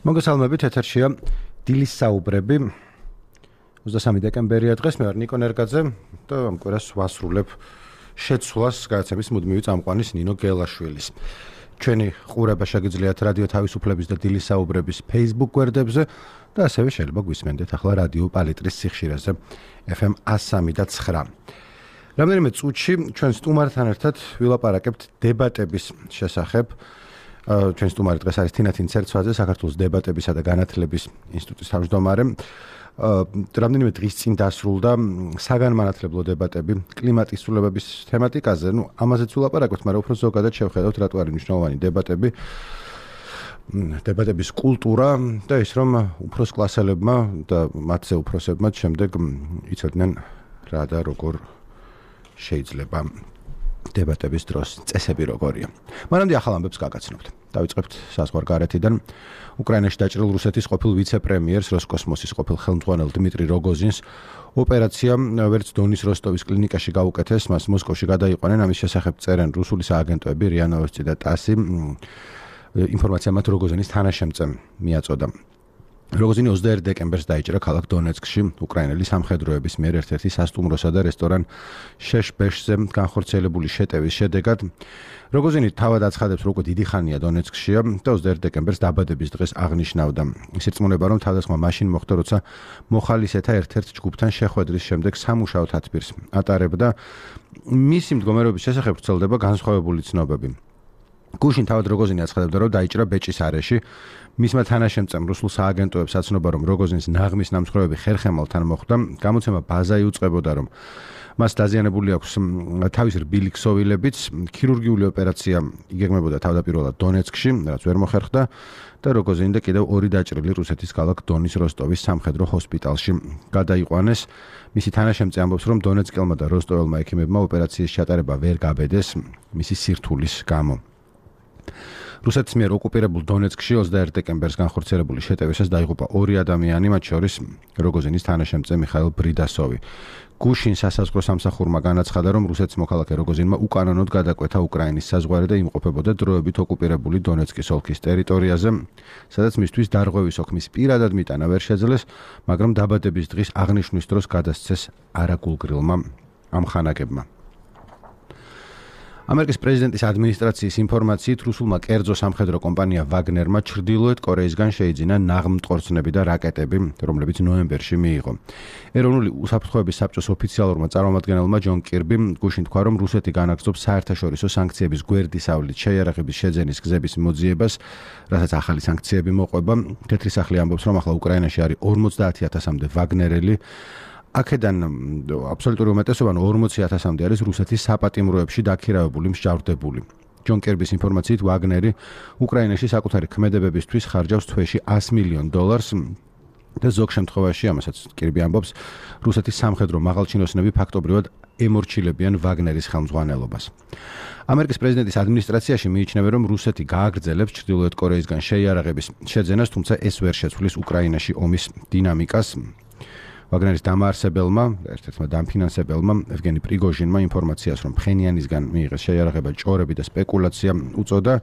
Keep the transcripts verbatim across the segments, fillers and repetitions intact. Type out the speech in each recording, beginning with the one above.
მოგესალმებით, ეთერშია დილის საუბრები. ოცდამესამე დეკემბერია დღეს, მე ვარ ნიკო ნერგაძე და ამ კვირას ვასრულებ შეცვლას გადაცემის მუდმივი წამყვანის ნინო გელაშვილის. ჩვენი ყურება შეგიძლიათ რადიო თავისუფლების და დილის საუბრების Facebook გვერდებზე და ასევე შეიძლება გვისმენდეთ ახლა რადიო პალიტრის სიხშირეზე ეფ ემ one oh three და nine. რამდენიმე წუთში ჩვენ სტუმართან ერთად ვილაპარაკებთ დებატების შესახებ. ჩვენ სტუმარი დღეს არის თინათინ ცერცვაძე, საქართველოს დებატებისა და განათლების ინსტიტუტის თავმჯდომარე. რამდენიმე დღის წინ დასრულდა საგანმანათლებლო დებატები კლიმატის ცვლილებების თემატიკაზე. ნუ ამაზეც ვილაპარაკებთ, მაგრამ უფრო ზოგადად შევხედავთ რატო არის მნიშვნელოვანი დებატები, დებატების კულტურა და ის რომ უფროს კლასელებმა და მათზე უფროსებმა შემდეგ იცოდნენ რა და როგორ შეიძლება დებატების დროს წესები როგორია. მანამდე ახალ ამბებს გაგაცნობთ. დავიწყებთ საზღვარგარეთიდან. უკრაინაში დაჭრილ რუსეთის ყოფილ ვიცე-პრემიერს, როსკოსმოსის ყოფილ ხელმძღვანელ დიმიტრი როგოზინს ოპერაცია ვერც დონის როსტოვის კლინიკაში გაუკეთეს, მას მოსკოვში გადაიყვანენ. ამის შესახებ წერენ რუსული სააგენტოები რია ნოვოსტი და ტასი. ინფორმაცია მათ როგოზინის თანაშემწემ მიაწოდა. როგოზინი ოცდაერთი დეკემბერს დაიჭრა ქალაქ დონეცკში უკრაინელი სამხედროების მიერ ერთ-ერთი სასტუმროსა და რესტორან შეშბეშზე განხორციელებული შეტევის შედეგად. როგოზინი თავად აცხადებს, რომ უკვე დიდი ხანია დონეცკშია და ოცდაერთი დეკემბერს დაბადების დღეს აღნიშნავდა. ის ირწმუნება, რომ თავდასხმა მაშინ მოხდა, როცა მოხალისეთა ერთ-ერთ ჯგუფთან შეხვედრის შემდეგ სამუშაო თათბირს ატარებდა. მისი მდგომარეობის შესახებ ვრცელდება განსხვავებული ცნობები. გუშინ თავად როგოზინი აცხადებდა, რომ დაიჭრა ბეჭის არეში. მისმა თანაშემწემ რუსულ სააგენტოებს აცნობა, რომ როგოზინის ნაღმის ნამსხვრევები ხერხემალთან მოხდა. გამოცემა ბაზა იუწყებოდა, რომ მას დაზიანებული აქვს თავის რბილი ქსოვილებიც. ქირურგიული ოპერაცია იგეგმებოდა თავდაპირველად დონეცკში, რაც ვერ მოხერხდა და როგოზინი და კიდევ ორი დაჭრილი რუსეთის ქალაქ დონის როსტოვის სამხედრო ჰოსპიტალში გადაიყვანეს. მისი თანაშემწე ამბობს, რომ დონეცკელმა და როსტოველმა ექიმებმა ოპერაციის ჩატარება ვერ გაბედეს მისი სირთულის გამო. რუსეთის მიერ ოკუპირებულ დონეცკში ოცდაერთი დეკემბერს განხორციელებული შეტევისას დაიღუპა ორი ადამიანი, მათ შორის როგოზინის თანაშემწე მიხაილ ბრიდასოვი. გუშინ სასაზღვრო სამსახურმა განაცხადა, რომ რუსეთის მოქალაქე როგოზინმა უკანონოდ გადაკვეთა უკრაინის საზღვარი და იმყოფებოდა დროებით ოკუპირებული დონეცკის ოლქის ტერიტორიაზე, სადაც მისთვის დარღვევის ოქმის პირადად მიტანა ვერ შეძლეს, მაგრამ დაბადების დღის აღნიშვნის დროს გადასცეს არაგულგრილმა ამხანაგებმა. ამერიკის პრეზიდენტის ადმინისტრაციის ინფორმაციით რუსულმა კერძო სამხედრო კომპანია ვაგნერმა ჩრდილოეთ კორეისგან შეიძინა ნაღმტყორცნები და რაკეტები, რომლებიც ნოემბერში მიიღო. ეროვნული უსაფრთხოების საბჭოს ოფიციალურმა წარმომადგენელმა ჯონ კირბიმ გუშინ თქვა, რომ რუსეთი განაგრძობს საერთაშორისო სანქციების გვერდისავლით შეიარაღების შეძენის გზების მოძიებას, რასაც ახალი სანქციები მოყვება. თეთრი სახლი ამბობს, რომ ახლა უკრაინაში არის ორმოცდაათი ათასამდე ვაგნერელი. აქედან აბსოლუტური უმეტესობა ორმოცი ათასამდე არის რუსეთის საპატიმროებში დაქირავებული მსჯავრდებული. ჯონ კერბის ინფორმაციით ვაგნერი უკრაინაში საკუთარი ქმედებებისთვის ხარჯავს თვეში one hundred მილიონ დოლარს და ზოგ შემთხვევაში, ამასაც კერბი ამბობს, რუსეთის სამხედრო მაღალჩინოსნები ფაქტობრივად ემორჩილებიან ვაგნერის ხელმძღვანელობას. ამერიკის პრეზიდენტის ადმინისტრაციაში მიიჩნევენ, რომ რუსეთი გააგრძელებს ჩრდილოეთ კორეისგან შეიარაღების შეძენას, თუმცა ეს ვერ შეცვლის უკრაინაში ომის დინამიკას. ვაგნერის დამაარსებელმა, ერთ-ერთმა დამფინანსებელმა ევგენი პრიგოჟინმა ინფორმაციას, რომ ფხენიანისგან მიიღეს შეიარაღება ჭორები და სპეკულაცია უწოდა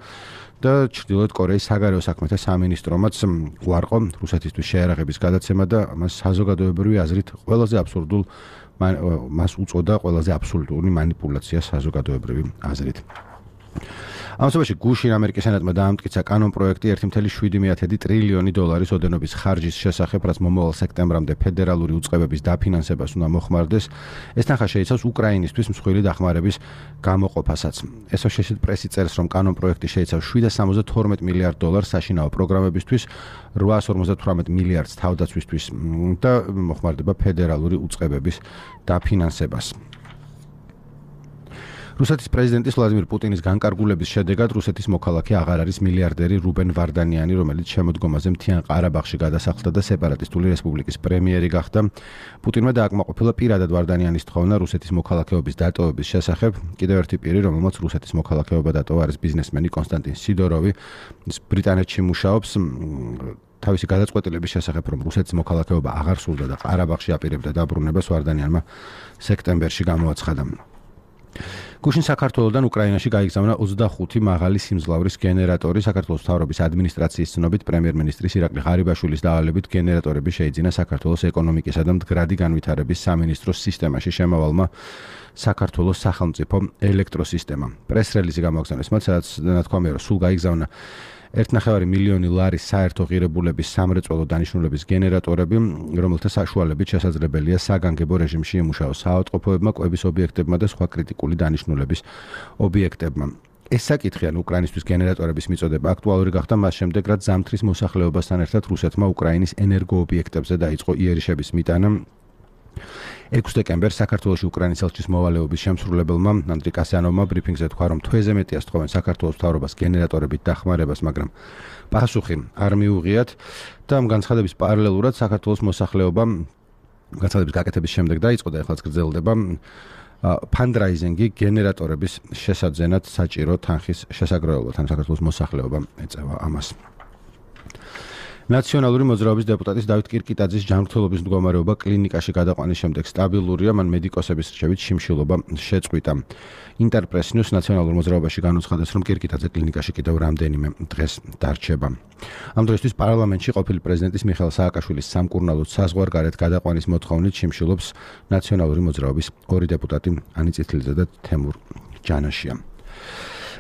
და ჩრდილოეთ კორეის საგარეო საქმეთა სამინისტრომაც უარყო რუსეთისთვის შეიარაღების გადაცემა და მას საზოგადოებრივი აზრით ყველაზე აბსურდულ მას უწოდა ყველაზე აბსურდული მანიპულაცია საზოგადოებრივი აზრით. ამასობაში გუშინ ამერიკის სენატმა დაამტკიცა კანონ პროექტი one point seven ტრილიონი დოლარის ოდენობის ხარჯის შესახებ, რაც მომავალ სექტემბრამდე ფედერალური უწყებების დაფინანსებას უნდა მოხმარდეს. ეს თანხა შეიცავს უკრაინისთვის მსხვილი დახმარების გამოყოფასაც. Associated Press წერს, რომ კანონ პროექტი შეიცავს შვიდ სამოცდათორმეტ მილიარდ დოლარს საშინაო პროგრამებისთვის, რვაას ორმოცდათვრამეტ მილიარდს თავდაცვისთვის და მოხმარდება ფედერალური უწყებების დაფინანსებას. რუსეთის პრეზიდენტის ვლადიმირ პუტინის განკარგულების შედეგად რუსეთის მოქალაქე აღარ არის მილიარდერი რუბენ ვარდანიანი, რომელიც შემოდგომაზე მთიან ყარაბაღში გადასახლდა და სეპარატისტული რესპუბლიკის პრემიერი გახდა. პუტინმა დააკმაყოფილა პირადად ვარდანიანის თხოვნა რუსეთის მოქალაქეობის დატოვების შესახებ. კიდევ ერთი პირი, რომელმაც რუსეთის მოქალაქეობა დატოვა, არის ბიზნესმენი კონსტანტინ სიდოროვი. ის ბრიტანეთში მუშაობს. თავისი გადაწყვეტილების შესახებ, რომ რუსეთის მოქალაქეობა აღარ სურდა და ყარაბაღში აპირებდა დაბრუნებას, ვარდანიანმა სექტემბერში გამოაცხადა. გუშინ საქართველოსდან უკრაინაში გაიგზავნა ოცდახუთი მაღალი სიმძლავრის გენერატორი. საქართველოს მთავრობის ადმინისტრაციის ცნობით პრემიერ-მინისტრის ირაკლი ღარიბაშვილის დავალებით გენერატორები შეიძინა საქართველოს ეკონომიკისა და მდგრადი განვითარების სამინისტროს სისტემაში შემავალმა საქართველოს სახელმწიფო ელექტროსისტემამ. პრეს-რელიზი გამოგზავნეს მათ, სადაც ნათქვამია, რომ სულ გაიგზავნა ერთნახევარი მილიონი ლარის საერთო ღირებულების სამრეწველო დანიშნულების გენერატორები, რომელთა საშუალებით შესაძლებელია საგანგებო რეჟიმში ემუშაოს საავადმყოფოებმა, კვების ობიექტებმა და სხვა კრიტიკული დანიშნულების ობიექტებმა. ეს საკითხი ან უკრაინისთვის გენერატორების მიწოდება აქტუალური გახდა მას შემდეგ, რაც ზამთრის მოსახლეობასთან ერთად რუსეთმა უკრაინის ენერგოობიექტებზე დაიწყო იერიშების მიტანა. ექვსი დეკემბერს საქართველოში უკრაინის ელჩის მოვალეობის შემსრულებელმა ანდრი კასიანოვმა ბრიფინგზე თქვა, რომ თვეზე მეტია სთხოვენ საქართველოს მთავრობას გენერატორებით დახმარებას, მაგრამ პასუხი არ მიუღიათ და ამ განცხადების პარალელურად საქართველოს მოსახლეობა განცხადების გაკეთების შემდეგ დაიწყო და ახლაც გრძელდება ფანდრაიზინგი გენერატორების შესაძენად საჭირო თანხის შესაგროვებლად. ან საქართველოს მოსახლეობა ეწევა ამას. ნაციონალური მოძრაობის დეპუტატის დავით კირკიტაძის ჯანმრთელობის მდგომარეობა კლინიკაში გადაყვანის შემდეგ სტაბილურია, მან მედიკოსების რჩევით შიმშილობა შეწყვიტა. ინტერპრესნიუს ნაციონალურ მოძრაობაში განუცხადეს, რომ კირკიტაძე კლინიკაში კიდევ რამდენიმე დღეს დარჩება. ამ დროისთვის პარლამენტში ყოფილი პრეზიდენტის მიხეილ სააკაშვილის სამკურნალოდ საზღვარგარეთ გადაყვანის მოთხოვნით შიმშილობს ნაციონალური მოძრაობის ორი დეპუტატი ანი წითლიძე და თემურ ჯანაშია.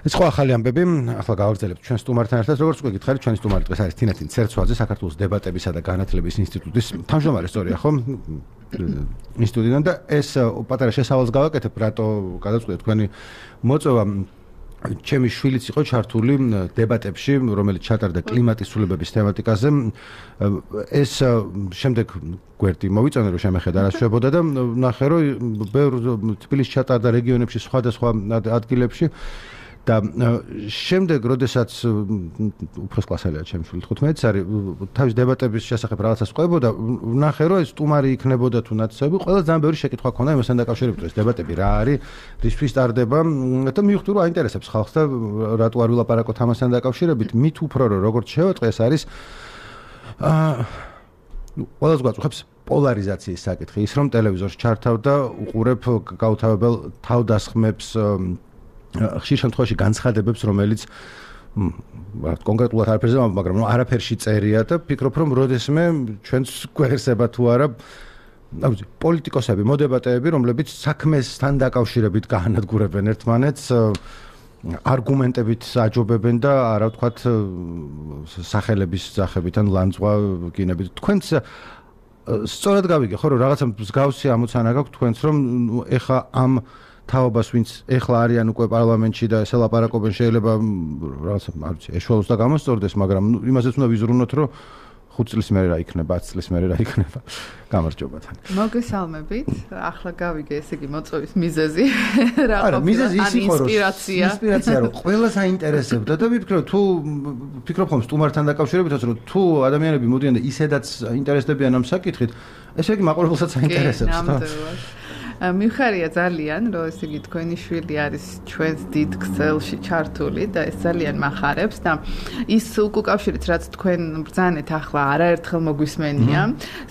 ეს ხო ახალი ამბები, ახლა გავაგრძელებთ ჩვენ სტუმართან ერთად, როგორც უკვე გითხარით, ჩვენი სტუმარი დღეს არის თინათინ ცერცვაძე, საქართველოს დებატებისა და განათლების ინსტიტუტის თავმჯდომარე, სწორია ხო? ინსტიტუტიდან და ეს პატარა შესავალს გავაკეთებ, რატო გადაწყვეტეთ თქვენი მოწვევა. ჩემი შვილიც იყო ჩართული დებატებში, რომელიც ჩატარდა კლიმატის ცვლილებების თემატიკაზე. ეს შემდეგ გვერდი მოვიწონე, რომ შემეხედა რა შვებოდა და ნახე, რომ ბევრ თბილისში ჩატარდა რეგიონებში, სხვადასხვა ადგილებში. და შემდეგ, როდესაც უფროს კლასელია ჩემი შვილი თხუთმეტი არის, თავის დებატების შესახებ რაღაცას ყვებოდა, ვნახე, რომ ეს სტუმარი იქნებოდა თუ ნაცნობი, ყველა ძალიან ბევრი შეკითხვა ქონდა იმასთან დაკავშირებით, ეს დებატები რა არის, რისთვის ტარდება და მივხვდი, რომ აინტერესებს ხალხს და რატო არ ვილაპარაკოთ ამასთან დაკავშირებით, მით უფრო რომ როგორც შევეტყვი, ეს არის აა ყველას გვაწუხებს პოლარიზაციის საკითხი, ის რომ ტელევიზორში ჩართავ და უყურებ გაუთავებელ თავდასხმებს ხშირ შემთხვევაში განცხადებებს, რომელიც კონკრეტულად არაფერზე, მაგრამ არაფერში წერია და ფიქრობ, რომ როდესმე ჩვენს გვერდება თუ არა პოლიტიკოსები, მოდებატეები, რომლებიც საქმესთან დაკავშირებით გაანადგურებენ ერთმანეთს, არგუმენტებით აჯობებენ და არა ვთქვათ სახელების სახებით ან ლანძღვა გინებით. თქვენც სწორად გავიგე, ხო, რომ რაღაცა მსგავსი ამოცანა გაქვთ თქვენც, რომ ეხა ამ თავობას, ვინც ეხლა არიან უკვე პარლამენტში და ესე ლაპარაკობენ, შეიძლება რაღაცა არ ვიცი, ეშველოს და გამოსწორდეს, მაგრამ იმასაც უნდა ვიზრუნოთ, რომ ხუთ წლის მერე რა იქნება, ათი წლის მერე რა იქნება. გამარჯობა თან. მოგესალმებით. ახლა გავიგე, ესე იგი მოწვევის მიზეზი რა ყოფილა. არა, მიზეზი ის იყო, რომ ინსპირაცია. ინსპირაცია, რომ ყველას აინტერესებდა და ვიფიქრე, თუ ფიქრობ ხომ სტუმართან დაკავშირებითაც, რომ თუ ადამიანები მოდიან და ისედაც ინტერესდებიან ამ საკითხით, ესე იგი მაყურებელსაც აინტერესებს, ხო? მიხარია ძალიან, რომ ესე იგი თქვენი შვილი არის ჩვენს დიდ ქსელში ჩართული და ეს ძალიან მახარებს და ის უკავშირით, რაც თქვენ ბრძანეთ ახლა არაერთხელ მოგვისმენია,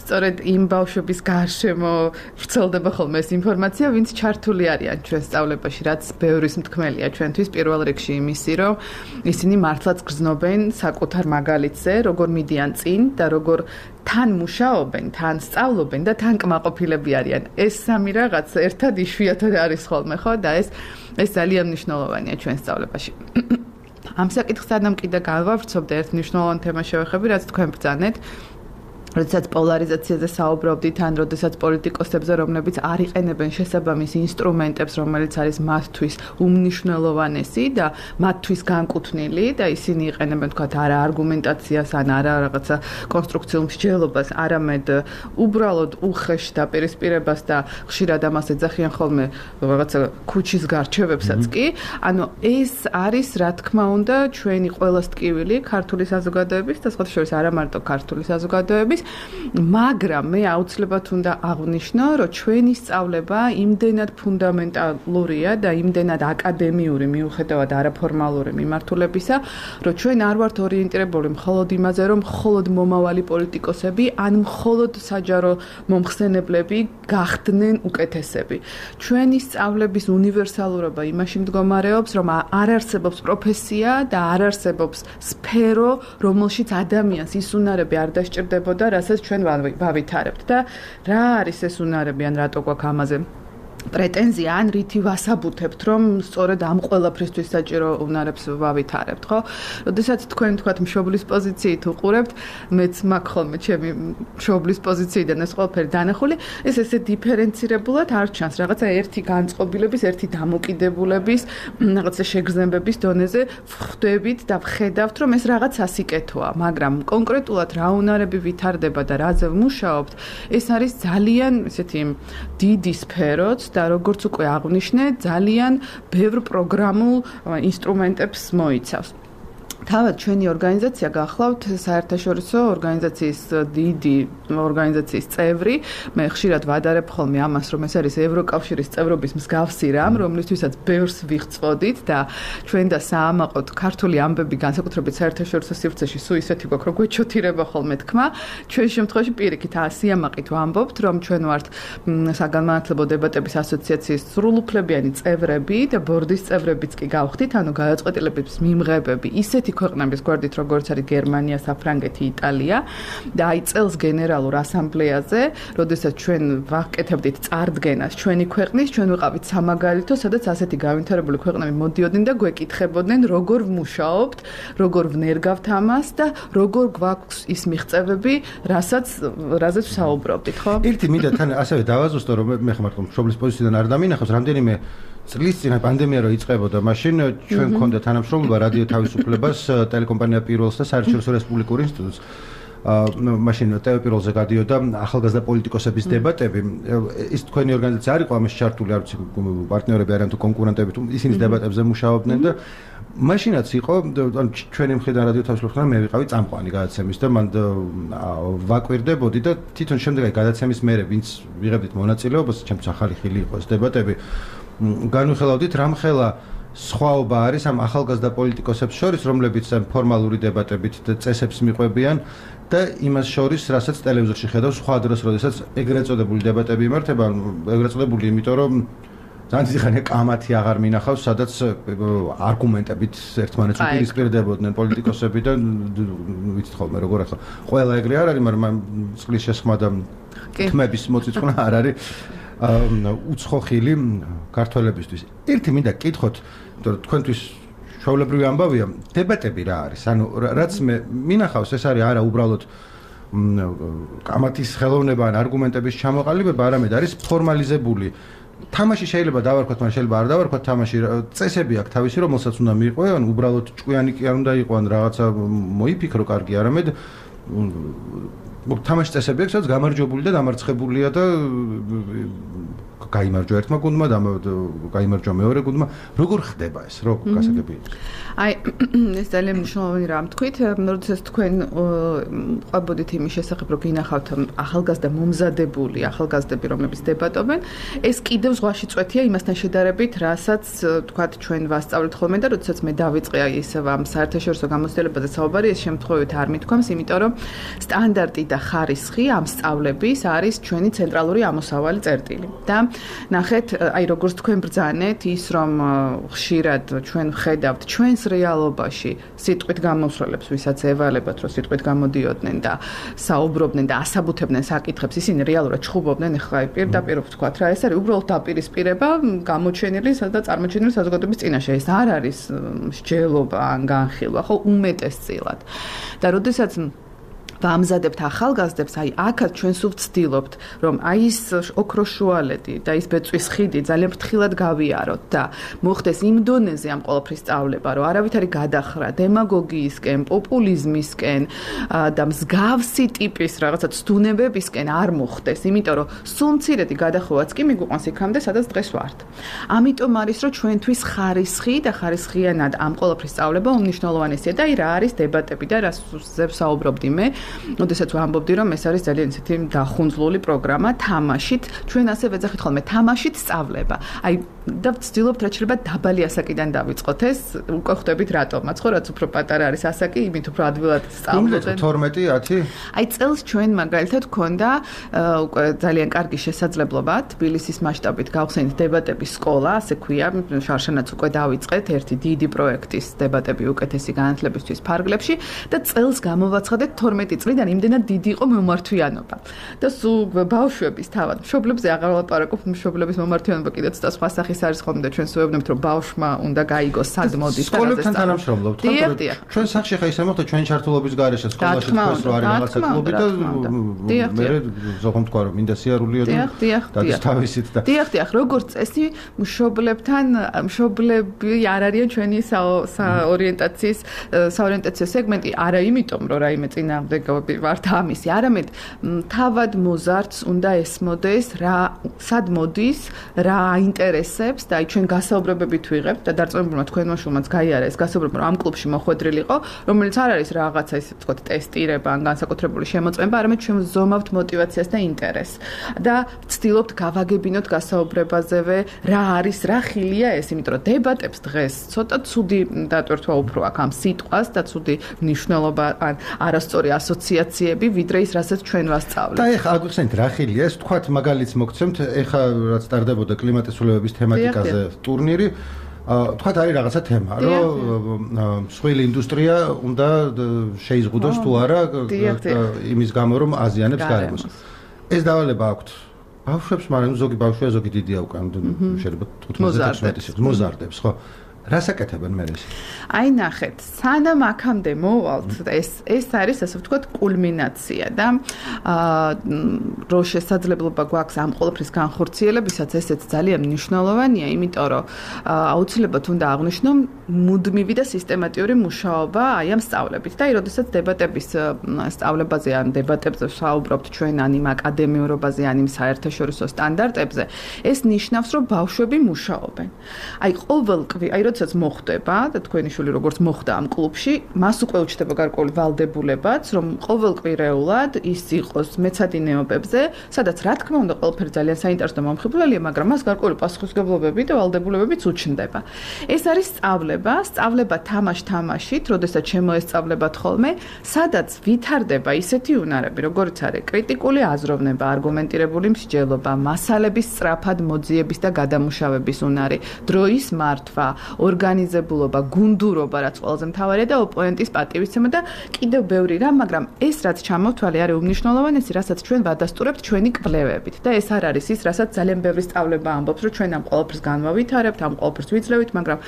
სწორედ იმ ბავშვების გარშემო ვრცელდება ხოლმე ეს ინფორმაცია, ვინც ჩართული არიან ჩვენ სწავლებაში, რაც ბევრის მთქმელია ჩვენთვის პირველ რიგში იმისი, რომ ისინი მართლაც გრძნობენ საკუთარ მაგალითზე, როგორ მიდიან წინ და როგორ თან მუშაობენ, თან სწავლობენ და თან კმაყოფილები არიან. ეს სამი რაღაც ერთად იშვიათად არის ხოლმე, ხო? და ეს ეს ძალიან მნიშვნელოვანია ჩვენ სწავლებაში. ამ საკითხს სანამ კიდე გავავრცობდე, ერთ მნიშვნელოვან თემას შევეხები, რაც თქვენ ბრძანეთ. როდესაც პოლარიზაციაზე საუბრობდით, ან როდესაც პოლიტიკოსებზე, რომლებიც არ იყენებენ შესაბამის ინსტრუმენტებს, რომელიც არის მათთვის უმნიშვნელოვანესი და მათთვის განკუთვნილი და ისინი იყენებენ, თქვათ, არა არგუმენტაციას, ან არა რაღაცა კონსტრუქციულ მსჯელობას, არამედ უბრალოდ უხეშ დაპირისპირებას და ხშირად ამას ეძახიან ხოლმე რაღაცა ქუჩის გარჩევებსაც კი. ანუ ეს არის, რა თქმა უნდა, ჩვენი ყველას ტკივილი ქართული საზოგადოების და სხვა შორის არა მარტო ქართული საზოგადოების მაგრამ მე აუცილებლად უნდა აღვნიშნო, რომ ჩვენი სწავლება იმდენად ფუნდამენტალურია და იმდენად აკადემიური მიუხედავად არაფორმალური მიმართულებისა, რომ ჩვენ არ ვართ ორიენტირებული მხოლოდ იმაზე, რომ მხოლოდ მომავალი პოლიტიკოსები ან მხოლოდ საჯარო მომხსენებლები გახდნენ უკეთესები. ჩვენი სწავლების უნივერსალურობა იმაში მდგომარეობს, რომ არ არსებობს პროფესია და არ არსებობს სფერო, რომელშიც ადამიანს ის უნარები არ დასჭირდებოდა, რასაც ჩვენ ვავითარებთ და რა არის ეს უნარები ან რატო გვაქვს ამაზე პრეტენზია ან რითი ვასაბუთებთ, რომ სწორედ ამ ყველაფრისთვის საჭირო უნარებს ვავითარებთ, ხო? როდესაც თქვენ თქვათ მშობლის პოზიციით უყურებთ, მეც მაქვს ხოლმე ჩემი მშობლის პოზიციიდან ეს ყველაფერი დანახული, ეს ესე დიფერენცირებულად არ ჩანს, რაღაცა ერთი განწყობილების, ერთი დამოკიდებულების, რაღაცა შეგრძნებების დონეზე ვხვდებით და ვხედავთ, რომ ეს რაღაც ასიკეთოა, მაგრამ კონკრეტულად რა უნარები ვითარდება და რაზე ვმუშაობთ, ეს არის ძალიან ესეთი დიდი სფეროც და როგორც უკვე აღვნიშნე, ძალიან ბევრ პროგრამულ ინსტრუმენტებს მოიცავს. თავად ჩვენი ორგანიზაცია გახლავთ საერთაშორისო ორგანიზაციის დიდი ორგანიზაციის წევრი. მე ხშირად ვადარებ ხოლმე ამას, რომ ეს არის ევროკავშირის წევრობის მსგავსი რამ, რომლისთვისაც ბევრს ვიღწვოდით და ჩვენ და საამაყოდ ქართული ამბები განსაკუთრებით საერთაშორისო სივრცეში სულ ისეთი გვაქვს, რომ გვეჩოთირება ხოლმე თქმა. ჩვენ შემთხვევაში პირიქით ასიამაყით ვამბობთ, რომ ჩვენ ვართ საგანმანათლებლო დებატების ასოციაციის სრულუფლებიანი წევრები და ბორდის წევრებიც კი გავხდით, ანუ გადაწყვეტილების მიმღებები ისეთი ქვეყნების გვერდით, როგორც არის გერმანია, საფრანგეთი, იტალია და აი წელს გენერალურ ასამბლეაზე, როდესაც ჩვენ ვაკეთებდით წარდგენას ჩვენი ქვეყნის, ჩვენ ვიყავით სამაგალითო, სადაც ასეთი გავითარებული ქვეყნები მოდიოდნენ და გვეკითხებოდნენ, როგორ ვმუშაობთ, როგორ ვნერგავთ ამას და როგორ გვაქვს ის მიღწევები, რასაც რაზეც ვსაუბრობდით, ხო? ერთი მინდა თან ასევე დავაზუსტო, რომ მე ხმარ მშობლის პოზიციიდან არ დამინახავს, რამდენიმე წლის წინ პანდემია რო იწყებოდა, მაშინ ჩვენ გქონდა თანამშრომლობა რადიო თავისუფლებას, ტელეკომპანია პირველს და საერთაშორისო რესპუბლიკურ ინსტიტუტს. მაშინ ტელეპიროლზე გადიოდა ახალგაზრდა პოლიტიკოსების დებატები. ის თქვენი ორგანიზაცია არ იყო ამაში ჩართული, არ ვიცი პარტნიორები არიან თუ კონკურენტები, თუ ისინი დებატებზე მუშაობდნენ და მაშინაც იყო ჩვენი მხრიდან რადიო თავისუფლებასთან მე ვიყავი წამყვანი გადაცემის და მან ვაკვირდებოდი და თვითონ შემდეგ აი გადაცემის მერე ვინც ვიღებდით მონაწილეობას, ჩემთვის ახალი ხილი იყო ეს დებატები. განვიხილავდით რამხელა სხვაობა არის ამ ახალგაზრდა პოლიტიკოსებს შორის, რომლებიც ფორმალური დებატებით და წესებს მიყვებიან და იმას შორის, რასაც ტელევიზორში ხედავს სხვა დროს, როდესაც ეგრეთ წოდებული დებატები იმართება, ეგრეთ წოდებული, იმიტომ რომ ძალიან დიდი ხანია კამათი აღარ მინახავს, სადაც არგუმენტებით ერთმანეთს უპირისპირდებოდნენ პოლიტიკოსები და ვიცით ხოლმე როგორ ახლა ყველა ეგრე არ არის, მაგრამ წყლის შესხმა და თმების მოწიწყვნა არ არის უცხო ხილი ქართველებისთვის. ერთი მინდა კითხოთ, იმიტომ რომ თქვენთვის ჩვეულებრივი ამბავია, დებატები რა არის? ანუ რაც მე მინახავს, ეს არის არა უბრალოდ კამათის ხელოვნება ან არგუმენტების ჩამოყალიბება, არამედ არის ფორმალიზებული. თამაში შეიძლება დავარქვათ, მაგრამ შეიძლება არ დავარქვათ თამაში. წესები აქვს თავისი, რომელსაც უნდა მიიღო, ან უბრალოდ ჭკვიანი კი არ უნდა იყო, ან რაღაცა მოიფიქრო კარგი, არამედ თამაშის წესები აქვს, სადაც გამარჯვებული და დამარცხებულია და გაიმარჯვა ერთმა გუნდმა და გაიმარჯვა მეორე გუნდმა. როგორ ხდება ეს? რო გასაგები? აი, ეს ძალიან მნიშვნელოვანი რამ თქვით, როდესაც თქვენ ყვებოდით იმის შესახებ, რომ გინახავთ ახალგაზრდა მომზადებული ახალგაზრდები, რომლებიც დებატობენ, ეს კიდევ ზღვაში წვეთია იმასთან შედარებით, რასაც თქვათ ჩვენ ვასწავლეთ ხოლმე და როდესაც მე დავიწყე აი ეს ამ საერთაშორისო გამოცდილებაზე საუბარი, ეს შემთხვევით არ მithქვამს, იმიტომ რომ სტანდარტი და ხარისხი ამ სწავლების არის ჩვენი ცენტრალური ამოსავალი წერტილი. და ნახეთ, აი როგორც თქვენ ბრძანეთ, ის რომ ხშირად ჩვენ ვხედავთ ჩვენს რეალობაში სიტყვით გამოსვლებს, ვისაც ევალებათ, რომ სიტყვით გამოდიოდნენ და საუბრობდნენ და ასაბუთებდნენ საკითხებს, ისინი რეალურად ჩხუბობდნენ, ეხლა აი პირდაპირ ვთქვათ რა, ეს არის უბრალოდ დაპირისპირება გამოჩენილი და წარმოჩენილი საზოგადოების წინაშე. ეს არ არის მსჯელობა ან განხილვა, ხო, უმეტესწილად. და როდესაც ვამზადებთ ახალგაზრდებს, აი აქაც ჩვენ სულ ვცდილობთ, რომ აი ის ოქროს შუალედი და ის ბეწვის ხიდი ძალიან ფრთხილად გავიაროთ და მოხდეს იმ დონეზე ამ ყველაფრის სწავლება, რომ არავითარი გადახრა დემაგოგიისკენ, პოპულიზმისკენ და მსგავსი ტიპის რაღაცა ცდუნებებისკენ არ მოხდეს, იმიტომ რომ სულ მცირედი გადახოვაც კი მიგვიყვანს იქამდე, სადაც დღეს ვართ. ამიტომ არის, რომ ჩვენთვის ხარისხი და ხარისხიანად ამ ყველაფრის სწავლება უმნიშვნელოვანესია და აი რა არის დებატები და რაზე ვსაუბრობდი მე ოდესაც ვამბობდი, რომ ეს არის ძალიან ისეთი დახუნძლული პროგრამა თამაშით, ჩვენ ასე ვეძახით ხოლმე თამაშით სწავლება. აი და ვცდილობთ რაც შეიძლება დაბალი ასაკიდან დავიწყოთ ეს, უკვე ხვდებით რატომაც, ხო, რაც უფრო პატარა არის ასაკი, იმით უფრო ადვილად სწავლობენ. თორმეტი ათი? აი წელს ჩვენ მაგალითად გქონდა უკვე ძალიან კარგი შესაძლებლობა თბილისის მასშტაბით გავხსენით დებატების სკოლა, ასე ქვია, შარშანაც უკვე დავიწყეთ ერთი დიდი პროექტის დებატები უკეთესი განათლებისთვის ფარგლებში და წელს გამოვაცხადეთ თორმეტი წლიდან იმდენად დიდი იყო მომართვიანობა. და სულ ბავშვების თავად მშობლებზე აღარ ვლაპარაკობ, მშობლების მომართვიანობა კიდეც და სხვა სახის არის ხოლმე და ჩვენ სვევებთ რომ ბავშვმა უნდა გაიგოს სად მოდის და სკოლებთან თანამშრომლობთ, ხო? ჩვენ სახში ხა ისე მოხდა ჩვენი ჩართულობის გარეშე სკოლაში თქვენს რო არის რაღაცა კლუბი და მე ზოგადად თქვა რომ მინდა სიარულიო და და თავისით და დიახ, დიახ, როგორც წესი მშობლებთან მშობლები არ არიან ჩვენი საორიენტაციის საორიენტაციო სეგმენტი, არა იმიტომ რომ რაიმე წინააღმდეგობები ვართ ამისი, არამედ თავად მოზარდს უნდა ესმოდეს რა სად მოდის, რა აინტერესებს და აი ჩვენ გასაუბრებებით ვიღებთ და დარწმუნებულმა თქვენმა შულმაც გაიარა ეს გასაუბრება რომ ამ კლუბში მოხვედრილიყო, რომელიც არ არის რაღაცა ისე ვთქვათ ტესტირება ან განსაკუთრებული შემოწმება, არამედ ჩვენ ვზომავთ мотиваციას და ინტერესს და ვცდილობთ გავაგებინოთ გასაუბრებაზევე რა არის, რა ხილია ეს, იმიტომ რომ დებატებს დღეს ცოტა ცუდი დატვირთვა უფრო აქვს ამ სიტყვას და ცუდი მნიშვნელობა ან არასწორი ასოციაციები, ვიდრე ის, რასაც ჩვენ ვასწავლეთ. და ეხლა აგვიხსენეთ რა ხილია ეს, თქვათ მაგალითს მოგცემთ, ეხლა რაც ტარდებოდა კლიმატის ცვლილებების თემატიკაზე ტურნირი, თქვათ არის რაღაცა თემა, რომ მსხვილი ინდუსტრია უნდა შეიზღუდოს თუ არა იმის გამო რომ აზიანებს გარემოს. ეს დავალება აქვთ ბავშვებს, მაგრამ ზოგი ბავშვია, ზოგი დიდია უკვე, შეიძლება თხუთმეტ მოზარდებს, ხო? რას აკეთებენ მე ეს? აი ნახეთ, სანამ აქამდე მოვალთ, ეს ეს არის ასე ვთქვათ კულმინაცია და აა რო შესაძლებლობა გვაქვს ამ ყოველფრის განხორციელებისაც, ესეც ძალიან მნიშვნელოვანია, იმიტომ რომ აუცილებლად უნდა აღვნიშნო მუდმივი და სისტემატიური მუშაობა აი ამ სწავლებით. და აი როდესაც დებატების სწავლებაზე ან დებატებზე ვსაუბრობთ ჩვენ ან იმ აკადემიურობაზე, ან იმ საერთაშორისო სტანდარტებზე, ეს ნიშნავს, რომ ბავშვები მუშაობენ. აი ყოველკვირ, აი როდესაც მოხდება და თქვენი შვილი როგორც მოხდა ამ კლუბში, მას უკვე უჩნდება გარკვეული ვალდებულებაც, რომ ყოველკვირეულად ის იყოს მეცადინეობებზე, სადაც რა თქმა უნდა ყველაფერი ძალიან საინტერესო და მომხიბვლელია, მაგრამ მას გარკვეული პასუხისმგებლობები და ვალდებულებებიც უჩნდება. ეს არის სწავლება, სწავლება თამაშ-თამაშით, როდესაც შემოესწავლებათ ხოლმე, სადაც ვითარდება ისეთი უნარები, როგორც არის კრიტიკული აზროვნება, არგუმენტირებული მსჯელობა, მასალების სწრაფად მოძიების და გადამუშავების უნარი, დროის მართვა, ორგანიზებულობა, გუნდურობა, რაც ყველაზე მთავარია და ოპონენტის პატივისცემა და კიდევ ბევრი რამ, მაგრამ ეს რაც ჩამოვთვალე არის უმნიშვნელოვანესი, რასაც ჩვენ ვადასტურებთ ჩვენი კვლევებით და ეს არ არის ის, რასაც ძალიან ბევრი სწავლება ამბობს, რომ ჩვენ ამ ყოველფერს განვავითარებთ, ამ ყოველფერს ვიძლევით, მაგრამ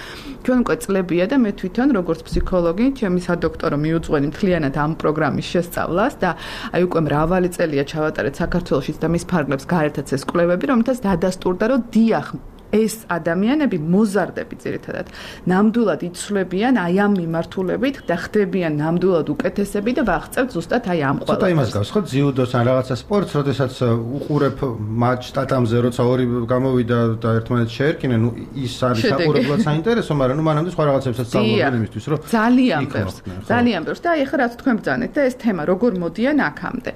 ჩვენ უკვე წლებია და მე თვითონ როგორც ფსიქოლოგი, ჩემი სადოქტორო მიუძღვენი მთლიანად ამ პროგრამის შესწავლას და აი უკვე მრავალი წელია ჩავატარეთ საქართველოშიც და მის ფარგლებს გაერთაც ეს კვლევები, რომელთაც დადასტურდა, რომ დიახ, ეს ადამიანები მოზარდები ძირითადად ნამდვილად იცვლებიან აი ამ მიმართულებით და ხდებიან ნამდვილად უკეთესები და ვაღწევთ ზუსტად აი ამ ყველაფერს. ცოტა იმას გავს ხო ძიუდოს ან რაღაცა სპორტს, როდესაც უყურებ მატჩ ტატამზე, როცა ორი გამოვიდა და ერთმანეთს შეერკინენ, ნუ ის არის საყურებლად საინტერესო, მაგრამ ნუ მანამდე სხვა რაღაცებსაც სწავლობენ იმისთვის, რომ ძალიან ბევრს, ძალიან ბევრს და აი ახლა რაც თქვენ ბრძანეთ და ეს თემა როგორ მოდიან აქამდე.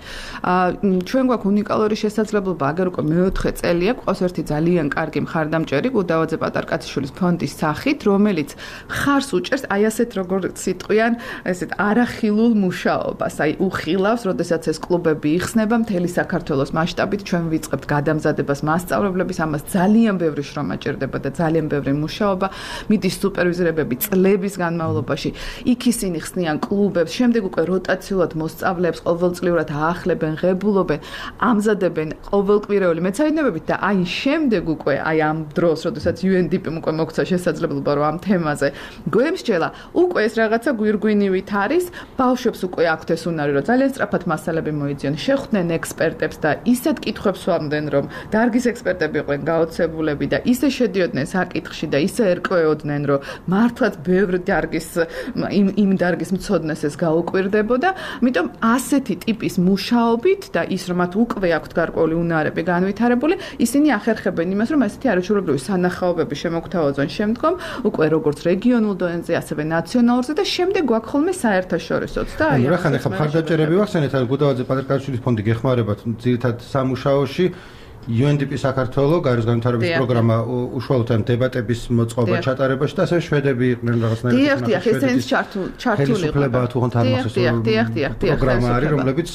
აა ჩვენ გვაქვს უნიკალური შესაძლებლობა, აგერ უკვე მეოთხე წელია, ყავს ერთი ძალიან კარგი მხარდამჭერი გუდავაძე პატარკაციშვილის ფონდის სახით, რომელიც ხარს უჭერს აი ასეთ როგორც სიტყვიან, ესეთ არახილულ მუშაობას, აი უხილავს, როდესაც ეს კლუბები იხსნება მთელი საქართველოს მასშტაბით, ჩვენ ვიწყებთ გადამზადებას მასწავლებლების, ამას ძალიან ბევრი შრომა ჭირდება და ძალიან ბევრი მუშაობა, მიდის სუპერვიზორებები წლების განმავლობაში, იქ ისინი ხსნიან კლუბებს, შემდეგ უკვე როტაციულად მოსწავლეებს ყოველწლიურად აახლებენ, ღებულობენ, ამზადებენ ყოველკვირეული მეცადინეობებით და აი შემდეგ უკვე აი ამ დროს, როდესაც იუ ენ დი პი-მ უკვე მოგცა შესაძლებლობა, რომ ამ თემაზე გვემსჯელა, უკვე ეს რაღაცა გვირგვინივით არის, ბავშვებს უკვე აქვთ ეს უნარი, რომ ძალიან სწრაფად მასალები მოიძიონ, შეხვდნენ ექსპერტებს და ისეთ კითხვებს ვამდნენ, რომ დარგის ექსპერტები იყვნენ გაოცებულები და ისე შედიოდნენ საკითხში და ისე ერკვეოდნენ, რომ მართლაც ბევრ დარგის იმ იმ დარგის მცოდნეს ეს გაუკვირდებოდა, ამიტომ ასეთი ტიპის მუშაობით და ის რომ მათ უკვე აქვთ გარკვეული უნარები განვითარებული, ისინი ახერხებენ იმას, რომ ასეთი არაჩვეულებრივი ადგილობრივი სანახაობები შემოგთავაზონ შემდგომ, უკვე როგორც რეგიონულ დონეზე, ასევე ნაციონალურზე და შემდეგ გვაქვს ხოლმე საერთაშორისოც და აი, რა ხან ახლა მხარდაჭერები ვახსენეთ, აი გუდავაძე პატრიკაშვილის ფონდი გეხმარებათ ძირითად სამუშაოში იუ ენ დი პი საქართველოს გაეროს განვითარების პროგრამა უშუალოდ ამ დებატების მოწყობა ჩატარებაში და ასევე შვედები იყვნენ რაღაცნაირად. დიახ, დიახ, ეს ჩართული იყო. თუ ხან თარმახის პროგრამა არის, რომლებიც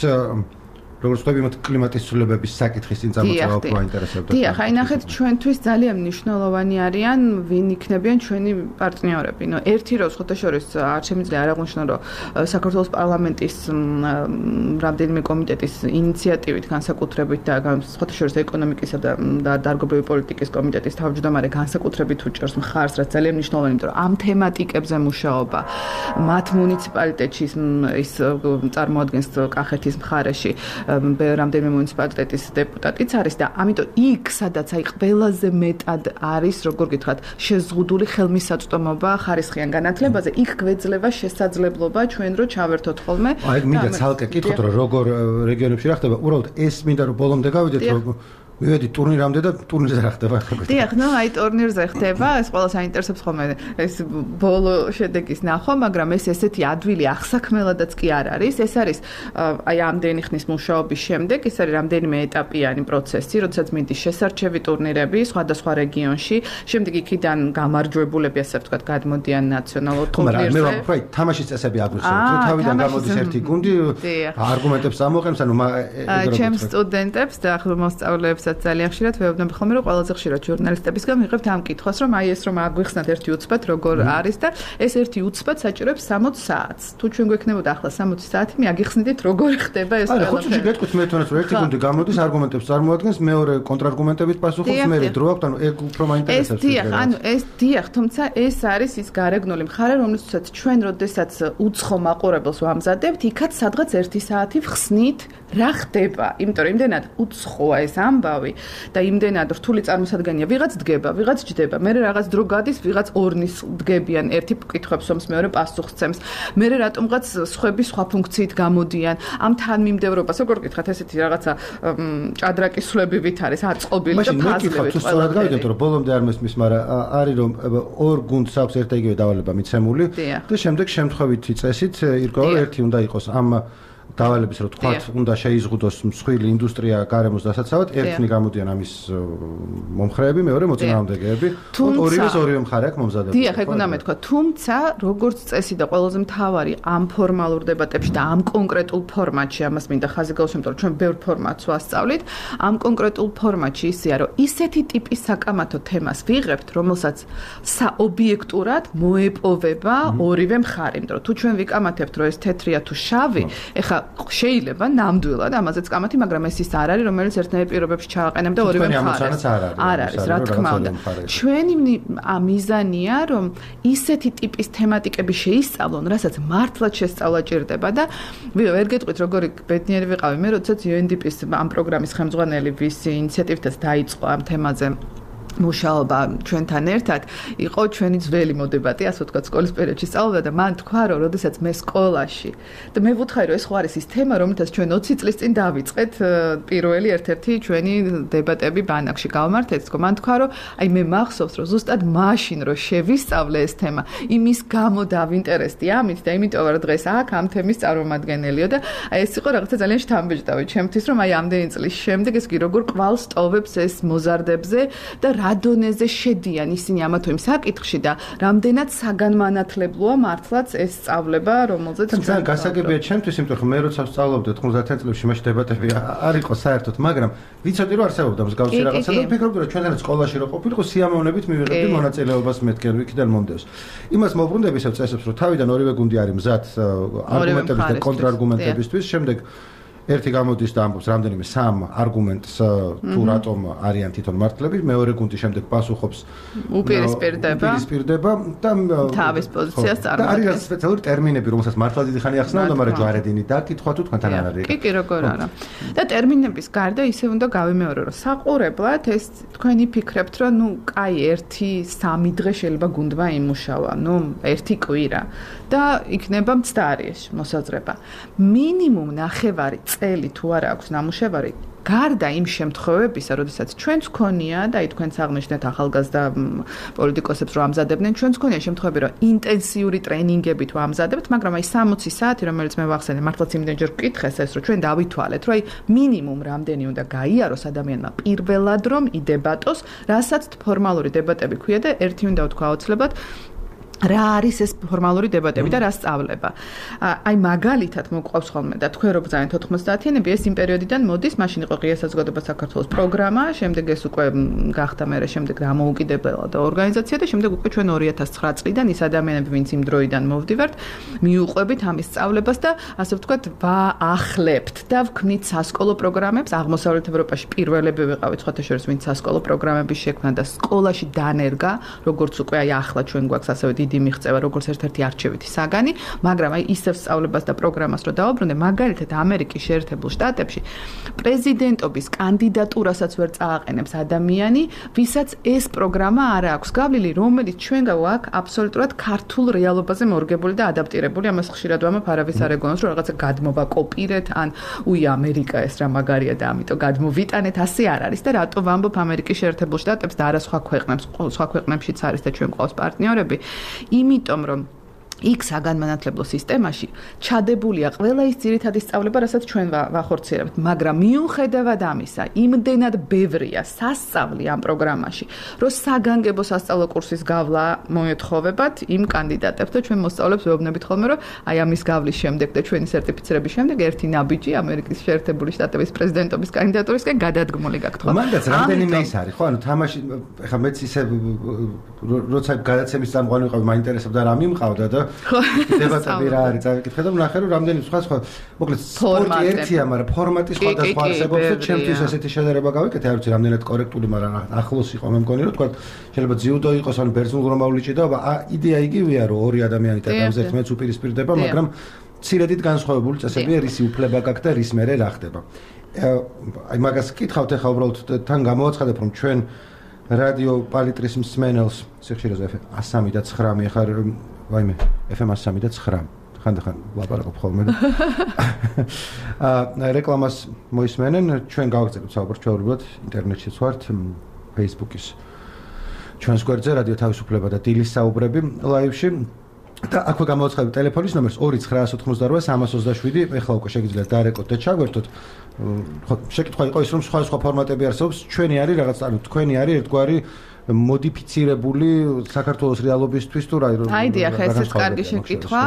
როგორც ვთქვი, მათ კლიმატის ცვლილებების საკითხის წინ წამოწევა უფრო აინტერესებდა. დიახ, აი ნახეთ, ჩვენთვის ძალიან მნიშვნელოვანი არიან ვინ იქნებიან ჩვენი პარტნიორები. ნუ ერთი რო ხოთაშორის არ შემიძლია არ აღვნიშნო, რომ საქართველოს პარლამენტის რამდენიმე კომიტეტის ინიციატივით განსაკუთრებით და ხოთაშორის ეკონომიკისა და დარგობრივი პოლიტიკის კომიტეტის თავმჯდომარე განსაკუთრებით უჭერს მხარს, რაც ძალიან მნიშვნელოვანია, იმიტომ რომ ამ თემატიკებზე მუშაობა მათ მუნიციპალიტეტში ის წარმოადგენს კახეთის მხარეში რამდენიმე მუნიციპალიტეტის დეპუტატიც არის და ამიტომ იქ სადაც აი ყველაზე მეტად არის როგორ გითხრათ შეზღუდული ხელმისაწვდომობა ხარისხიან განათლებაზე იქ გვეძლება შესაძლებლობა ჩვენ რო ჩავერთოთ ხოლმე აი მინდა ცალკე კითხოთ რომ როგორ რეგიონებში რა ხდება უბრალოდ ეს მინდა რომ ბოლომდე გავიდეთ რომ მივედი ტურნირამდე და ტურნირზე რა ხდება ხო? დიახ, ნუ აი ტურნირზე ხდება, ეს ყველა საინტერესებს ხოლმე ეს ბოლო შედეგის ნახვა, მაგრამ ეს ესეთი ადვილი ახსაქმელადაც კი არ არის. ეს არის აი ამდენი ხნის მუშაობის შემდეგ, ეს არის რამდენიმე ეტაპიანი პროცესი, როდესაც მინდის შესარჩევი ტურნირები სხვადასხვა რეგიონში, შემდეგ იქიდან გამარჯვებულები, ასე ვთქვათ, გადმოდიან ნაციონალურ ტურნირზე. მაგრამ მე ვაფრთხილე, თამაშის წესები აგვიხსენეთ, რომ თავიდან გამოდის ერთი გუნდი, არგუმენტებს ამოყენს, ანუ ჩემს სტუდენტებს და ახლა მოსწავლეებს ძალიან ხშირად ვეუბნები ხოლმე რომ ყველაზე ხშირად ჟურნალისტებისგან ვიღებთ ამ კითხვას რომ აი ეს რომ აგვიხსნათ ერთი უცბად როგორ არის და ეს ერთი უცბად საჭიროებს სამოცი საათს. თუ ჩვენ გვექნებოდა ახლა სამოცი საათი, მე აგიხსნიდით როგორ ხდება ეს ყველაფერი. აი, ხუთი გეტყვით მე თვითონაც რომ ერთი გუნდი გამოდის, არგუმენტებს წარმოადგენს, მეორე კონტრარგუმენტებით პასუხობს, მე დრო აქვს, ანუ ეგ უფრო მაინტერესებს. ეს დიახ, ანუ ეს დიახ, თუმცა ეს არის ის გარეგნული მხარე, რომლითაც ჩვენ როდესაც უცხო მაყურებელს ვამზადებთ, იქაც სადღაც ერთი საათი ვხსნით რა ხდება, იმიტომ რომ იმდენად უცხოა ეს ამბავი და იმდენად რთული წარმოსადგენია, ვიღაც დგება, ვიღაც ჯდება, მე რაღაც დრო გადის, ვიღაც ორნის დგებიან, ერთი კითხვებს ომს, მეორე პასუხს ცემს, მე რატომღაც სხვები სხვა ფუნქციით გამოდიან, ამ თანმიმდევრობას როგორ გითხრათ, ესეთი რაღაცა ჭადრაკის სვლებივით არის აწყობილი და ფაზლებით. მაშინ მე სწორად გავიგეთ, რომ ბოლომდე არ მესმის, მაგრამ არის რომ ორ გუნდს აქვს ერთ და იგივე დავალება მიცემული და შემდეგ შემთხვევითი წესით ირკვევა ერთი უნდა იყოს ამ დავალების რო თქვათ უნდა შეიზღუდოს მსხვილი ინდუსტრია გარემოს დასაცავად ერთნი გამოდიან ამის მომხრეები მეორე მოწინააღმდეგეები ორივეს ორივე მხარე აქვს მომზადებული დიახ ეგ უნდა მეთქვა თუმცა როგორც წესი და ყველაზე მთავარი ამ ფორმალურ დებატებში და ამ კონკრეტულ ფორმატში ამას მინდა ხაზი გავუსვამ რომ ჩვენ ბევრ ფორმატს ვასწავლით ამ კონკრეტულ ფორმატში ისეა რომ ისეთი ტიპის საკამათო თემას ვიღებთ რომელსაც საობიექტურად მოეპოვება ორივე მხარე იმიტომ რომ თუ ჩვენ ვიკამათებთ რომ ეს თეთრია თუ შავი ეხა შეიძლება ნამდვილად ამაზეც კამათი, მაგრამ ეს ის არ არის, რომელიც ერთნაირ პირობებში ჩააყენებდა ორივე მხარეს. არ არის, რა თქმა უნდა. ჩვენი მიზანია, რომ ისეთი ტიპის თემატიკები შეისწავლონ, რასაც მართლაც შესწავლა ჭირდება და ვერ გეტყვით, როგორი ბედნიერი ვიყავი მე, როდესაც იუ ენ დი პის ამ პროგრამის ხელმძღვანელი ვის ინიციატივითაც დაიწყო ამ თემაზე მუშაობა ჩვენთან ერთად იყო ჩვენი ძველი მოდებატი, ასე ვთქვათ, სკოლის პერიოდში სწავლობდა და მან თქვა, რომ როდესაც მე სკოლაში და მე ვუთხარი, რომ ეს ხო არის ის თემა, რომელთაც ჩვენ ოცი წლის წინ დავიწყეთ პირველი ერთ-ერთი ჩვენი დებატები ბანაკში გავმართეთ, თქო, მან თქვა, რომ აი მე მახსოვს, რომ ზუსტად მაშინ რო შევისწავლე ეს თემა, იმის გამო დავინტერესდი ამით და იმიტომ რომ დღეს აქ ამ თემის წარმომადგენელიო და აი ეს იყო რაღაცა ძალიან შთამბეჭდავი ჩემთვის, რომ აი ამდენი წლის შემდეგ ეს კი როგორ კვალს ტოვებს ეს მოზარდებზე და რა დონეზე შედიან ისინი ამა თუ იმ საკითხში და რამდენად საგანმანათლებლოა მართლაც ეს სწავლება, რომელზეც ჩვენ გასაგებია ჩემთვის, იმიტომ რომ მე როცა ვსწავლობდი თხმოცდაათი წლებში მაშინ დებატები არ იყო საერთოდ, მაგრამ ვიცოდი რომ არსებობდა მსგავსი რაღაცა და ვფიქრობდი რომ ჩვენთანაც სკოლაში რო ყოფილიყო სიამოვნებით მივიღებდი მონაწილეობას მეთქენ ვიქიდან მომდევს. იმას მოვბრუნდები ისევ წესებს რომ თავიდან ორივე გუნდი არის მზად არგუმენტების და კონტრარგუმენტებისთვის, შემდეგ ერთი გამოდის და ამბობს რამდენიმე სამ არგუმენტს თუ რატომ არიან თვითონ მართლები, მეორე გუნდი შემდეგ პასუხობს უპირისპირდება უპირისპირდება და თავის პოზიციას წარმოადგენს. და არის სპეციალური ტერმინები, რომელსაც მართლა დიდი ხანი ახსნაოდა, მაგრამ ჯვარედინი დაკითხვა თუ თქვენთან არ არის. კი, კი, როგორ არა. და ტერმინების გარდა ისევ უნდა გავიმეორო, რომ საყურებლად ეს თქვენ იფიქრებთ, რომ ნუ კაი ერთი სამი დღე შეიძლება გუნდმა იმუშავა, ნუ ერთი კვირა და იქნება მცდარი ეს მოსაზრება. მინიმუმ ნახევარი წელი თუ არა აქვს ნამუშევარი გარდა იმ შემთხვევებისა, როდესაც ჩვენც ქონია და აი თქვენც აღნიშნეთ ახალგაზრდა პოლიტიკოსებს რომ ამზადებდნენ, ჩვენც ქონია შემთხვევები, რომ ინტენსიური ტრენინგებით ვამზადებთ, მაგრამ აი სამოცი საათი, რომელიც მე ვახსენე, მართლაც იმდენჯერ ვკითხეს ეს, რომ ჩვენ დავითვალეთ, რომ აი მინიმუმ რამდენი უნდა გაიაროს ადამიანმა პირველად რომ იდებატოს, რასაც ფორმალური დებატები ქვია და ერთი უნდა ვთქვა აუცილებლად რა არის ეს ფორმალური დებატები და რა სწავლება. აი მაგალითად მოყვავს ხოლმე და თქვენ რო ბრძანეთ ოთხმოცდაათიანები, ეს იმ პერიოდიდან მოდის, მაშინ იყო ღია საზოგადოება საქართველოს პროგრამა, შემდეგ ეს უკვე გახდა მერე შემდეგ დამოუკიდებელ და ორგანიზაცია და შემდეგ უკვე ჩვენ ორი ათას ცხრა წლიდან ის ადამიანები, ვინც იმ დროიდან მოვდივართ, მიუყვებით ამის სწავლებას და ასე ვთქვათ, ვაახლებთ და ვქმნით სასკოლო პროგრამებს. აღმოსავლეთ ევროპაში პირველები ვიყავით სხვათა შორის, ვინც სასკოლო პროგრამების შექმნა და სკოლაში დანერგა, როგორც უკვე აი ახლა ჩვენ გვაქვს ასევე დიდი მიღწევა როგორც ერთ-ერთი არჩევითი საგანი, მაგრამ აი ისევ სწავლებას და პროგრამას რო დავაბრუნდე, მაგალითად ამერიკის შეერთებულ შტატებში პრეზიდენტობის კანდიდატურასაც ვერ წააყენებს ადამიანი, ვისაც ეს პროგრამა არ აქვს გავლილი, რომელიც ჩვენ გვაქვს აბსოლუტურად ქართულ რეალობაზე მორგებული და ადაპტირებული. ამას ხშირად ვამბობ, არავის არ ეგონოს, რომ რაღაცა გადმოვაკოპირეთ, ან უი ამერიკა ეს რა მაგარია და ამიტომ გადმოვიტანეთ, ასე არ არის და რატო ვამბობ ამერიკის შეერთებულ შტატებს და არა სხვა ქვეყნებს, სხვა ქვეყნებშიც არის და ჩვენ ყავს პარტნიორები. იმიტომ რომ იქ საგანმანათლებლო სისტემაში ჩადებულია ყველა ის ძირითადი სწავლება, რასაც ჩვენ ვახორციელებთ, მაგრამ მიუხედავად ამისა, იმდენად ბევრია სასწავლი ამ პროგრამაში, რომ საგანგებო სასწავლო კურსის გავლა მოეთხოვებათ იმ კანდიდატებს და ჩვენ მოსწავლებს ვეუბნებით ხოლმე, რომ აი ამის გავლის შემდეგ და ჩვენი სერტიფიცირების შემდეგ ერთი ნაბიჯი ამერიკის შეერთებული შტატების პრეზიდენტობის კანდიდატურისკენ გადადგმული გაქვთ. მანდაც რამდენიმე ის არის, ხო, ანუ თამაში ეხლა მეც ისე როცა გადაცემის წამყვანი ვიყავი, მაინტერესებდა რა მიმყავდა და დებატები რა არის წავიკითხე და ვნახე რომ რამდენი სხვა სხვა მოკლედ სპორტი ერთია, მაგრამ ფორმატი სხვადასხვა არსებობს და ჩემთვის ესეთი შედარება გავიკეთე, არ ვიცი რამდენად კორექტული, მაგრამ ახლოს იყო მე მგონი რომ თქვა შეიძლება ძიუდო იყოს ან ბერძნულ-რომაული ჭიდაობა, იდეა იგივეა რომ ორი ადამიანი ტეტამზე ერთმანეთს უპირისპირდება, მაგრამ მცირედით განსხვავებული წესებია, რისი უფლება გაქვს და რის მერე რა ხდება. აი მაგას კითხავთ ახლა უბრალოდ თან გამოვაცხადებ რომ ჩვენ რადიო პალიტრის მსმენელს სიხშირეზე ას სამი და ცხრამი ახლა ვაიმე ეფ ემ ას სამი და ცხრა ხანდახან ლაპარაკობ ხოლმე და აა რეკლამას მოისმენენ, ჩვენ გავაგზავნებთ საუბარს ჩვეულებრივად ინტერნეტშიც ვართ, Facebook-ის ჩვენს გვერდზე რადიო თავისუფლება და დილის საუბრები ლაივში და აქვე გამოვაცხადებ ტელეფონის ნომერს ორი ცხრაას ოთხმოცდაორვა სამას ოცდაშვიდი, ეხლა უკვე შეგიძლიათ დაარეკოთ და ჩაგვერთოთ. ხო, შეკითხვა იყო ის რომ სხვა სხვა ფორმატები არსებობს, ჩვენი არის რაღაც, ანუ თქვენი არის ერთგვარი მოდიფიცირებული საქართველოს რეალობისთვის თუ რა რა აი დიახ, ესეც კარგი შეკითხვა.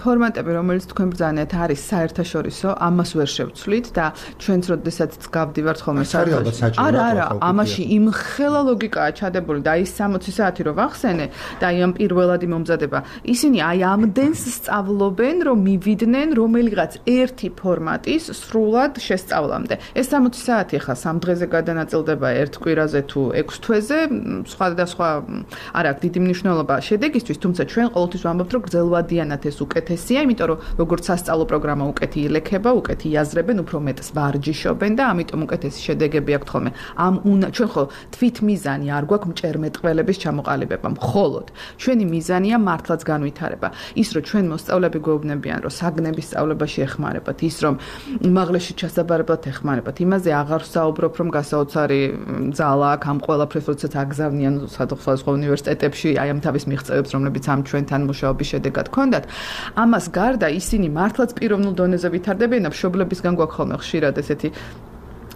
ფორმატები, რომელიც თქვენ ბრძანეთ, არის საერთაშორისო, ამას ვერ შევცვლით და ჩვენც როდესაც გავდივართ ხოლმე საერთაშორისო. არა, არა, ამაში იმხელა ლოგიკაა ჩადებული და ის სამოცი საათი რო ვახსენე და აი ამ პირველადი მომზადება, ისინი აი ამდენს სწავლობენ, რომ მივიდნენ რომელიღაც ერთი ფორმატის სრულად შესწავლამდე. ეს სამოცი საათი ხა სამ დღეზე გადანაწილდება ერთ კვირაზე თუ ექვს თვეზე სხვადასხვა არ აქვს დიდი მნიშვნელობა შედეგისთვის, თუმცა ჩვენ ყოველთვის ვამბობთ, რომ გრძელვადიანად ეს უკეთესია, იმიტომ რომ როგორც სასწავლო პროგრამა უკეთი ილექება, უკეთი იაზრებენ, უფრო მეტს ვარჯიშობენ და ამიტომ უკეთესი შედეგები აქვთ ხოლმე. ამ ჩვენ ხო თვითმიზანი არ გვაქვს მჭერმეტყველების ჩამოყალიბება, მხოლოდ ჩვენი მიზანია მართლაც განვითარება. ის რომ ჩვენ მოსწავლეები გვეუბნებიან, რომ საგნების სწავლებაში ეხმარებათ, ის რომ უმაღლესში ჩასაბარებლად ეხმარებათ, იმაზე აღარ ვსაუბრობ, რომ გასაოცარი ძალა აქვს ამ ყველაფრის აგზავნიან სხვადასხვა უნივერსიტეტებში აი ამ თავის მიღწევებს, რომლებიც ამ ჩვენთან მუშაობის შედეგად ჰქონდათ. ამას გარდა ისინი მართლაც პიროვნულ დონეზე ვითარდებიან და მშობლებისგან გვაქვს ხოლმე ხშირად ესეთი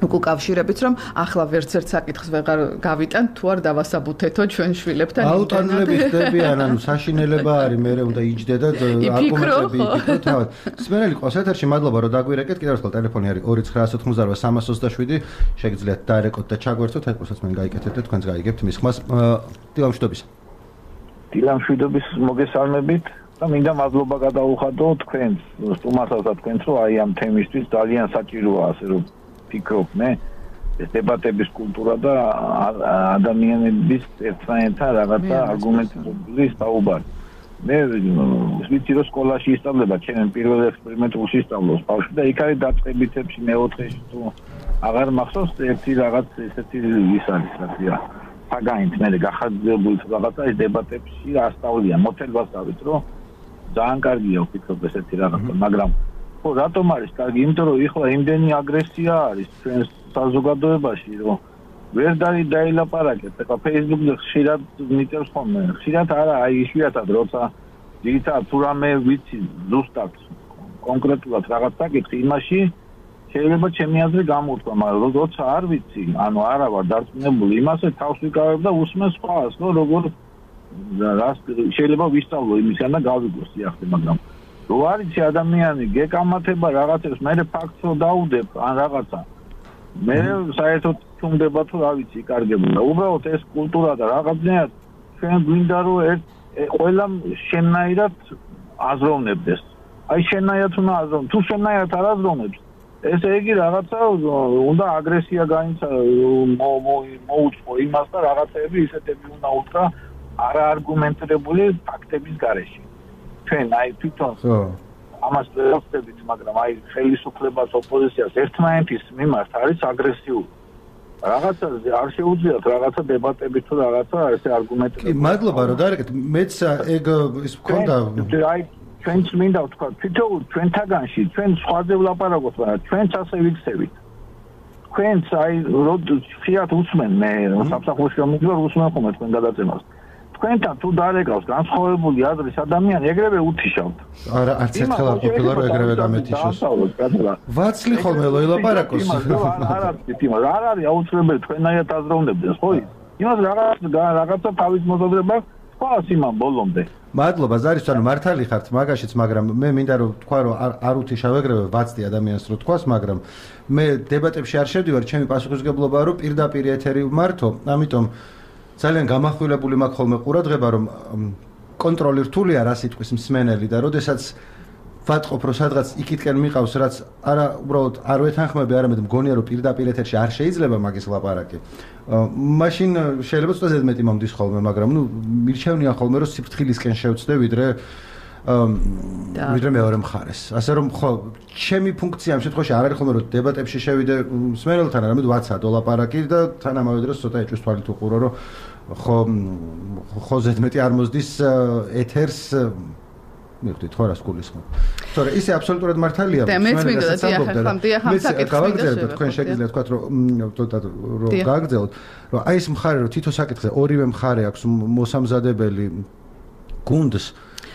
უკავშირებით, რომ ახლა ვერც ერთ საკითხს ვეღარ გავიტან, თუ არ დავასაბუთეთო ჩვენ შვილებთან. აუტანლები ხდებიან, ანუ საშინელება არის, მე უნდა იჯდე და არგუმენტები იფიქრო თავად. სმენელი ყავს ეთერში, მადლობა რომ დაგვირეკეთ. კიდევ ერთხელ ტელეფონი არის ორი ცხრაას ოთხმოცდაორვა სამას ოცდაშვიდი, შეგიძლიათ დაარეკოთ და ჩაგვერთოთ, ეკუსაც მე გაიგეთეთ და თქვენც გაიგებთ მის ხმას. დილამშვიდობის. დილამშვიდობის მოგესალმებით და მინდა მადლობა გადაუხადო თქვენს, სტუმარსაც და თქვენს, რომ აი ამ თემისთვის ძალიან საჭიროა, ასე რომ ფიქრობ მე ეს დებატების კულტურა და ადამიანების ერთმანეთთან რაღაცა არგუმენტირებული საუბარი. მე ვიცი რომ სკოლაში ისწავლება, ჩემ პირველ ექსპერიმენტულში ისწავლოს ბავშვი და იქ არის დაწყებითებში მეოთხეში თუ აღარ მახსოვს ერთი რაღაც ესეთი ის არის რა საგანით მე გახარჯებული რაღაცა ეს დებატებში ასწავლიან, მოცელვას დავით რომ ძალიან კარგია ვფიქრობ ესეთი რაღაცა, მაგრამ ხო, რატომ არის კარგი? იმიტომ რომ ეხლა იმდენი აგრესია არის ჩვენს საზოგადოებაში, რომ ვერ დარი დაილაპარაკეთ. ეხლა Facebook-ზე ხშირად მიწერს ხოლმე. ხშირად არა, აი იშვიათად როცა ძირითადად თუ რამე ვიცი ზუსტად კონკრეტულად რაღაც საკითხი, იმაში შეიძლება ჩემი აზრი გამოვთქვა, მაგრამ როცა არ ვიცი, ანუ არა ვარ დარწმუნებული, იმასე თავს ვიკავებ და უსმენს სხვას, რომ როგორ რას შეიძლება ვისწავლო იმისგან და გავიგო სიახდე, მაგრამ რო არიცი ადამიანი გეკამათება რაღაცებს, მე ფაქტს რო დაუდებ ან რაღაცა. მე საერთოდ თუნდება თუ რა ვიცი, იკარგებოდა. უბრალოდ ეს კულტურა და რაღაცნაირად ჩვენ გვინდა რომ ერთ ყველა შენნაირად აზროვნებდეს. აი შენნაირად უნდა აზროვნო. თუ შენნაირად არ აზროვნებს, ესე იგი რაღაცა უნდა აგრესია გაინცა მოუწყო იმას და რაღაცები ისეთები უნდა უთხრა არაარგუმენტირებული ფაქტების გარეშე. ჩვენ აი თვითონ ამას ვეცდებით, მაგრამ აი ხელისუფლებას, ოპოზიციას ერთმანეთის მიმართ არის აგრესიული. რაღაცა არ შეუძლიათ რაღაცა დებატები თუ რაღაცა ესე არგუმენტები. კი, მადლობა რომ დაერეკეთ. მეც ეგ ის მქონდა აი ჩვენც მინდა ვთქვა, თვითონ ჩვენთაგანში, ჩვენ სხვაზე ვლაპარაკობთ, მაგრამ ჩვენც ასე ვიქცევით. თქვენც აი ხიათ უსმენ მე სამსახურში მომიჯვარ უსმენ ხოლმე თქვენ გადაწემას. თქვენთან თუ დარეკავს განსხვავებული აზრის ადამიანი, ეგრევე უთიშავთ. არა, არც ერთხელ არ ყოფილა რომ ეგრევე გამეთიშოს. ვაცლი ხოლმე ლაპარაკოს. არა, იმას არ არის აუცილებელი თქვენაირად აზროვნებდეს, ხო? იმას რაღაც რაღაცა თავის მოზადრება ხვალ იმან ბოლომდე. მადლობა ზარის, ანუ მართალი ხართ მაგაშიც, მაგრამ მე მინდა რომ თქვა რომ არ უთიშავ ეგრევე ვაცდი ადამიანს რო თქვას, მაგრამ მე დებატებში არ შევდივარ, ჩემი პასუხისმგებლობაა რომ პირდაპირ ეთერი ვმართო, ამიტომ ძალიან გამახვილებული მაქვს ხოლმე ყურადღება, რომ კონტროლი რთულია რა სიტყვის მსმენელი და როდესაც ვატყობ რომ სადღაც იქითკენ მიყავს, რაც არა უბრალოდ არ ვეთანხმები, არამედ მგონია რომ პირდაპირ ეთერში არ შეიძლება მაგის ლაპარაკი. მაშინ შეიძლება ცოტა ზედმეტი მომდის ხოლმე, მაგრამ ნუ მირჩევნია ხოლმე რომ სიფრთხილისკენ შევწდე ვიდრე ვიდრე მეორე მხარეს. ასე რომ ხო, ჩემი ფუნქცია ამ შემთხვევაში არ არის ხოლმე რომ დებატებში შევიდე მსმენელთან, არამედ ვაცადო ლაპარაკი და თან ამავე დროს ცოტა ეჭვის თვალით უყურო, რომ ხო ხო ზედმეტი არ მოსდის ეთერს მივხვდით ხო რას გულისხმობ. თორე ისე აბსოლუტურად მართალია. და მეც მინდოდა დიახ, ახლა დიახ ამ საკითხს გავაგრძელებთ, თქვენ შეგიძლიათ თქვათ რომ ცოტა რომ გააგრძელოთ, რომ აი ეს მხარე რომ თითო საკითხზე ორივე მხარე აქვს მოსამზადებელი გუნდს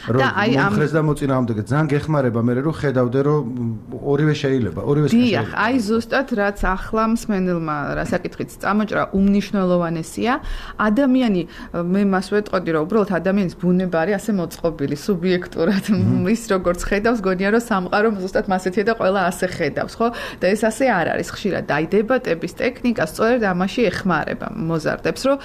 რომ მომხრეს და მოწინააღმდეგე ძალიან გეხმარება მე რომ ხედავდე რომ ორივე შეიძლება, ორივე შეიძლება. დიახ, აი ზუსტად რაც ახლა მსმენელმა რა საკითხიც წამოჭრა უმნიშვნელოვანესია, ადამიანი მე მას ვეტყოდი რომ უბრალოდ ადამიანის ბუნება არის ასე მოწყობილი, სუბიექტურად ის როგორც ხედავს, გონია რომ სამყარო ზუსტად მასეთია და ყველა ასე ხედავს, ხო? და ეს ასე არ არის ხშირად. აი დებატების ტექნიკა სწორედ ამაში ეხმარება მოზარდებს, რომ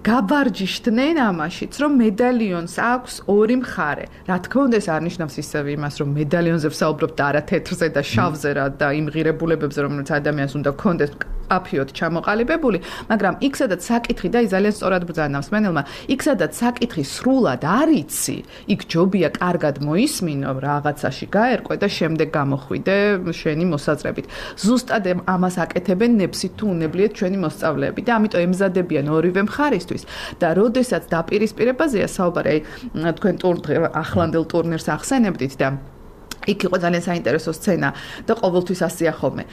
გაბარჯიშდნენ ამაშიც, რომ მედალიონს აქვს ორი მხარე. რა თქმა უნდა ეს არ ნიშნავს ისევ იმას რომ მედალიონზე ვსაუბრობთ და არა თეთრზე და შავზე რა და იმ ღირებულებებზე რომელიც ადამიანს უნდა ქონდეს აფიოდ ჩამოყალიბებული, მაგრამ იქ სადაც საკითხი და ის ძალიან სწორად ბრძანავს მენელმა, იქ სადაც საკითხი სრულად არ იცი, იქ ჯობია კარგად მოისმინო, რაღაცაში გაერკვე და შემდეგ გამოხვიდე შენი მოსაზრებით. ზუსტად ამას აკეთებენ ნებსით თუ უნებლიეთ ჩვენი მოსწავლეები და ამიტომ ემზადებიან ორივე მხარისთვის და როდესაც დაპირისპირებაზეა საუბარი, აი თქვენ ახლანდელ ტურნირს ახსენებდით და იქ იყო ძალიან საინტერესო სცენა და ყოველთვის ასეა ხოლმე.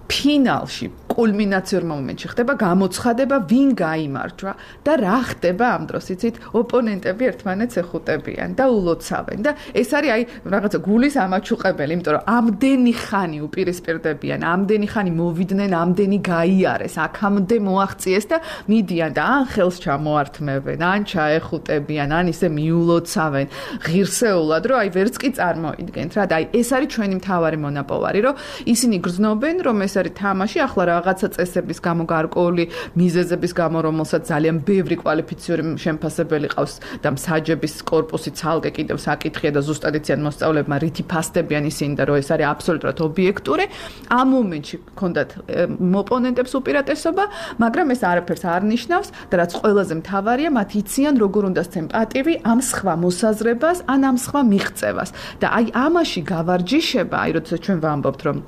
ფინალში კულმინაციურ მომენტში ხდება გამოცხადება ვინ გაიმარჯვა და რა ხდება ამ დროს იცით ოპონენტები ერთმანეთს ეხუტებიან და ულოცავენ და ეს არის აი რაღაცა გულის ამაჩუყებელი, იმიტომ რომ ამდენი ხანი უპირისპირდებიან, ამდენი ხანი მოვიდნენ, ამდენი გაიარეს, აქამდე მოაღწიეს და მიდიან და ან ხელს ჩამოართმევენ, ან ჩაეხუტებიან, ან ისე მიულოცავენ ღირსეულად, რომ აი ვერც კი წარმოიდგენთ რა და აი ეს არის ჩვენი მთავარი მონაპოვარი, რომ ისინი გრძნობენ, რომ ეს არის თამაში, ახლა რაღაცა წესების გამო გარკვეული მიზეზების გამო, რომელსაც ძალიან ბევრი კვალიფიციური შემფასებელი ყავს და მსაჯების კორპუსი ცალკე კიდევ საკითხია და ზუსტად იციან მოსწავლეებმა რითი ფასდებიან ისინი და რომ ეს არის აბსოლუტურად ობიექტური. ამ მომენტში ჰქონდათ ოპონენტებს უპირატესობა, მაგრამ ეს არაფერს არ ნიშნავს და რაც ყველაზე მთავარია, მათ იციან როგორ უნდა სცენ პატივი ამ სხვა მოსაზრებას, ან ამ სხვა მიღწევას. და აი ამაში გავარჯიშება, აი როდესაც ჩვენ ვამბობთ, რომ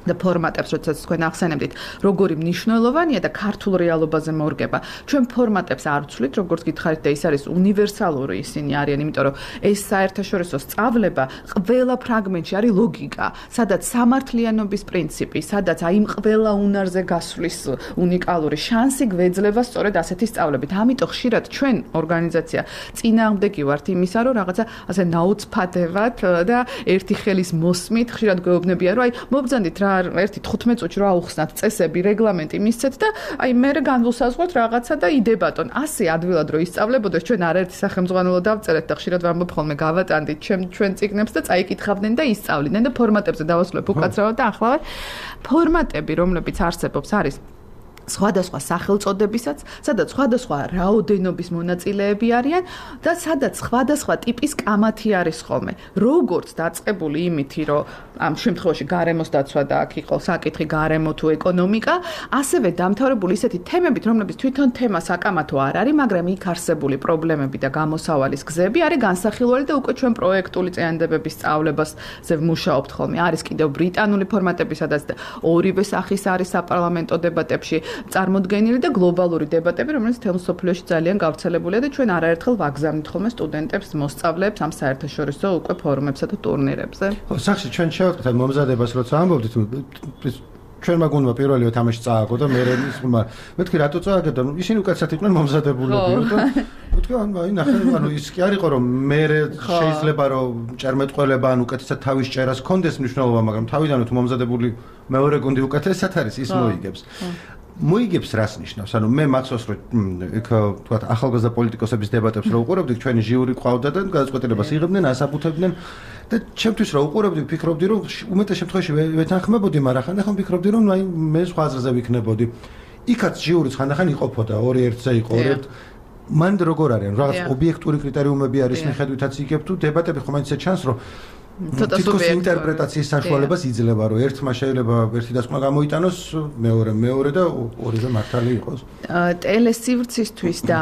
და ფორმატებს, როდესაც თქვენ ახსენებდით, როგორი მნიშვნელოვანია და ქართულ რეალობაზე მორგება. ჩვენ ფორმატებს არ ვცვლით, როგორც გითხარით და ის არის უნივერსალური ისინი არიან, იმიტომ რომ ეს საერთაშორისო სწავლება ყველა ფრაგმენტში არის ლოგიკა, სადაც სამართლიანობის პრინციპი, სადაც აი იმ ყველა უნარზე გასვლის უნიკალური შანსი გვეძლება სწორედ ასეთი სწავლებით. ამიტომ ხშირად ჩვენ ორგანიზაცია წინააღმდეგი ვართ იმისა, რომ რაღაცა ასე ნაუცფადევად და ერთი ხელის მოსმით ხშირად გვეუბნებიან, რომ აი მობრძანდით რა ერთი თხუთმეტ წუთში რა აუხსნათ წესები, რეგლამენტი მისცეთ და აი მე განვუსაზღვროთ რაღაცა და იდებატონ. ასე ადვილად რო ისწავლებოდეს, ჩვენ არაერთი სახელმძღვანელო დავწერეთ და ხშირად ვამბობ ხოლმე გავატანდით ჩვენ ჩვენ წიგნებს და წაიკითხავდნენ და ისწავლიდნენ და ფორმატებზე დავასრულებ უკაცრავად და ახლა ფორმატები, რომლებიც არსებობს, არის სხვადასხვა სახელწოდებისაც, სადაც სხვადასხვა რაოდენობის მონაწილეები არიან და სადაც სხვადასხვა ტიპის კამათი არის ხოლმე. როგორც დაწყებული იმითი, რომ ამ შემთხვევაში გარემოს დაცვა და აქ იყო საკითხი გარემო თუ ეკონომიკა, ასევე დამთავრებული ისეთი თემებით, რომლებიც თვითონ თემა საკამათო არ არის, მაგრამ იქ არსებული პრობლემები და გამოსავალის გზები არის განსახილველი და უკვე ჩვენ პროექტული წინადადებების სწავლებაზე ვმუშაობთ ხოლმე. არის კიდევ ბრიტანული ფორმატები, სადაც ორივე სახის არის საპარლამენტო დებატებში წარმოდგენილი და გლობალური დებატები, რომელიც თემ სოფლიოში ძალიან გავრცელებულია და ჩვენ არაერთხელ ვაგზავნით ხოლმე სტუდენტებს, მოსწავლეებს ამ საერთაშორისო უკვე ფორუმებსა და ტურნირებზე. ხო, სახში ჩვენ შევატყეთ მომზადებას, როცა ამბობდით, ჩვენმა გუნდმა პირველივე თამაში წააგო და მე ისმა მეთქი რატო წააგე და ისინი უკაცრავად იყვნენ მომზადებულები და მეთქი აი ნახე ანუ ის კი არისო რომ მე შეიძლება რომ ჭერმეტყველება ან უკეთესად თავის ჭერას კონდეს მნიშვნელობა, მაგრამ თავიდანვე თუ მომზადებული მეორე გუნდი უკეთესად არის, ის მოიგებს. მოიგებს რას ნიშნავს? ანუ მე მახსოვს რომ იქ თქვა ახალგაზრდა პოლიტიკოსების დებატებს რო უყურებდი, ჩვენი ჟიური ყავდა და გადაწყვეტილებას იღებდნენ, ასაბუთებდნენ და ჩემთვის რა უყურებდი, ვფიქრობდი რომ უმეტეს შემთხვევაში ვეთანხმებოდი, მაგრამ ხანდახან ვფიქრობდი რომ აი მე სხვა აზრზე ვიქნებოდი. იქაც ჟიურიც ხანდახან იყოფოდა, ორი ერთზე იყო, ორი ერთ მან როგორ არის? რაღაც ობიექტური კრიტერიუმები არის მიხედვითაც იგებ თუ დებატები ხომ ისე ჩანს რომ ცოტა სუბიექტური ინტერპრეტაციის საშუალებას იძლევა, რომ ერთმა შეიძლება ერთი დასკვნა გამოიტანოს, მეორე მეორე და ორივე მართალი იყოს. ტელესივრცისთვის და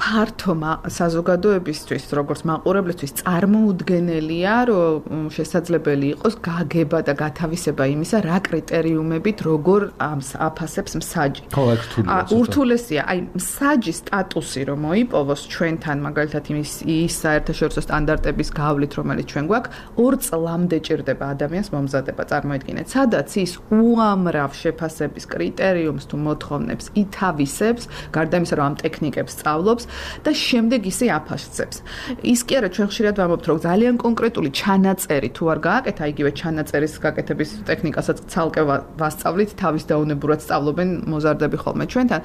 ფართო საზოგადოებისთვის, როგორც მაყურებლისთვის წარმოუდგენელია, რომ შესაძლებელი იყოს გაგება და გათავისება იმისა, რა კრიტერიუმებით როგორ აფასებს მსაჯი. ხო, აქ რთულია. ურთულესია, აი მსაჯის სტატუსი რომ მოიპოვოს ჩვენთან, მაგალითად იმის ის საერთაშორისო სტანდარტების გავლით, რომელიც ჩვენ გვაქვს, ორ წლამდე ჭირდება ადამიანს მომზადება, წარმოიდგინეთ, სადაც ის უამრავ შეფასების კრიტერიუმს თუ მოთხოვნებს ითავისებს, გარდა იმისა, რომ ამ ტექნიკებს სწავლობს და შემდეგ ისე აფასებს. ის კი არა, ჩვენ ხშირად ვამბობთ, რომ ძალიან კონკრეტული ჩანაწერი თუ არ გააკეთა, იგივე ჩანაწერის გაკეთების ტექნიკასაც ცალკე ვასწავლით, თავის დაუნებურად სწავლობენ მოზარდები ხოლმე ჩვენთან.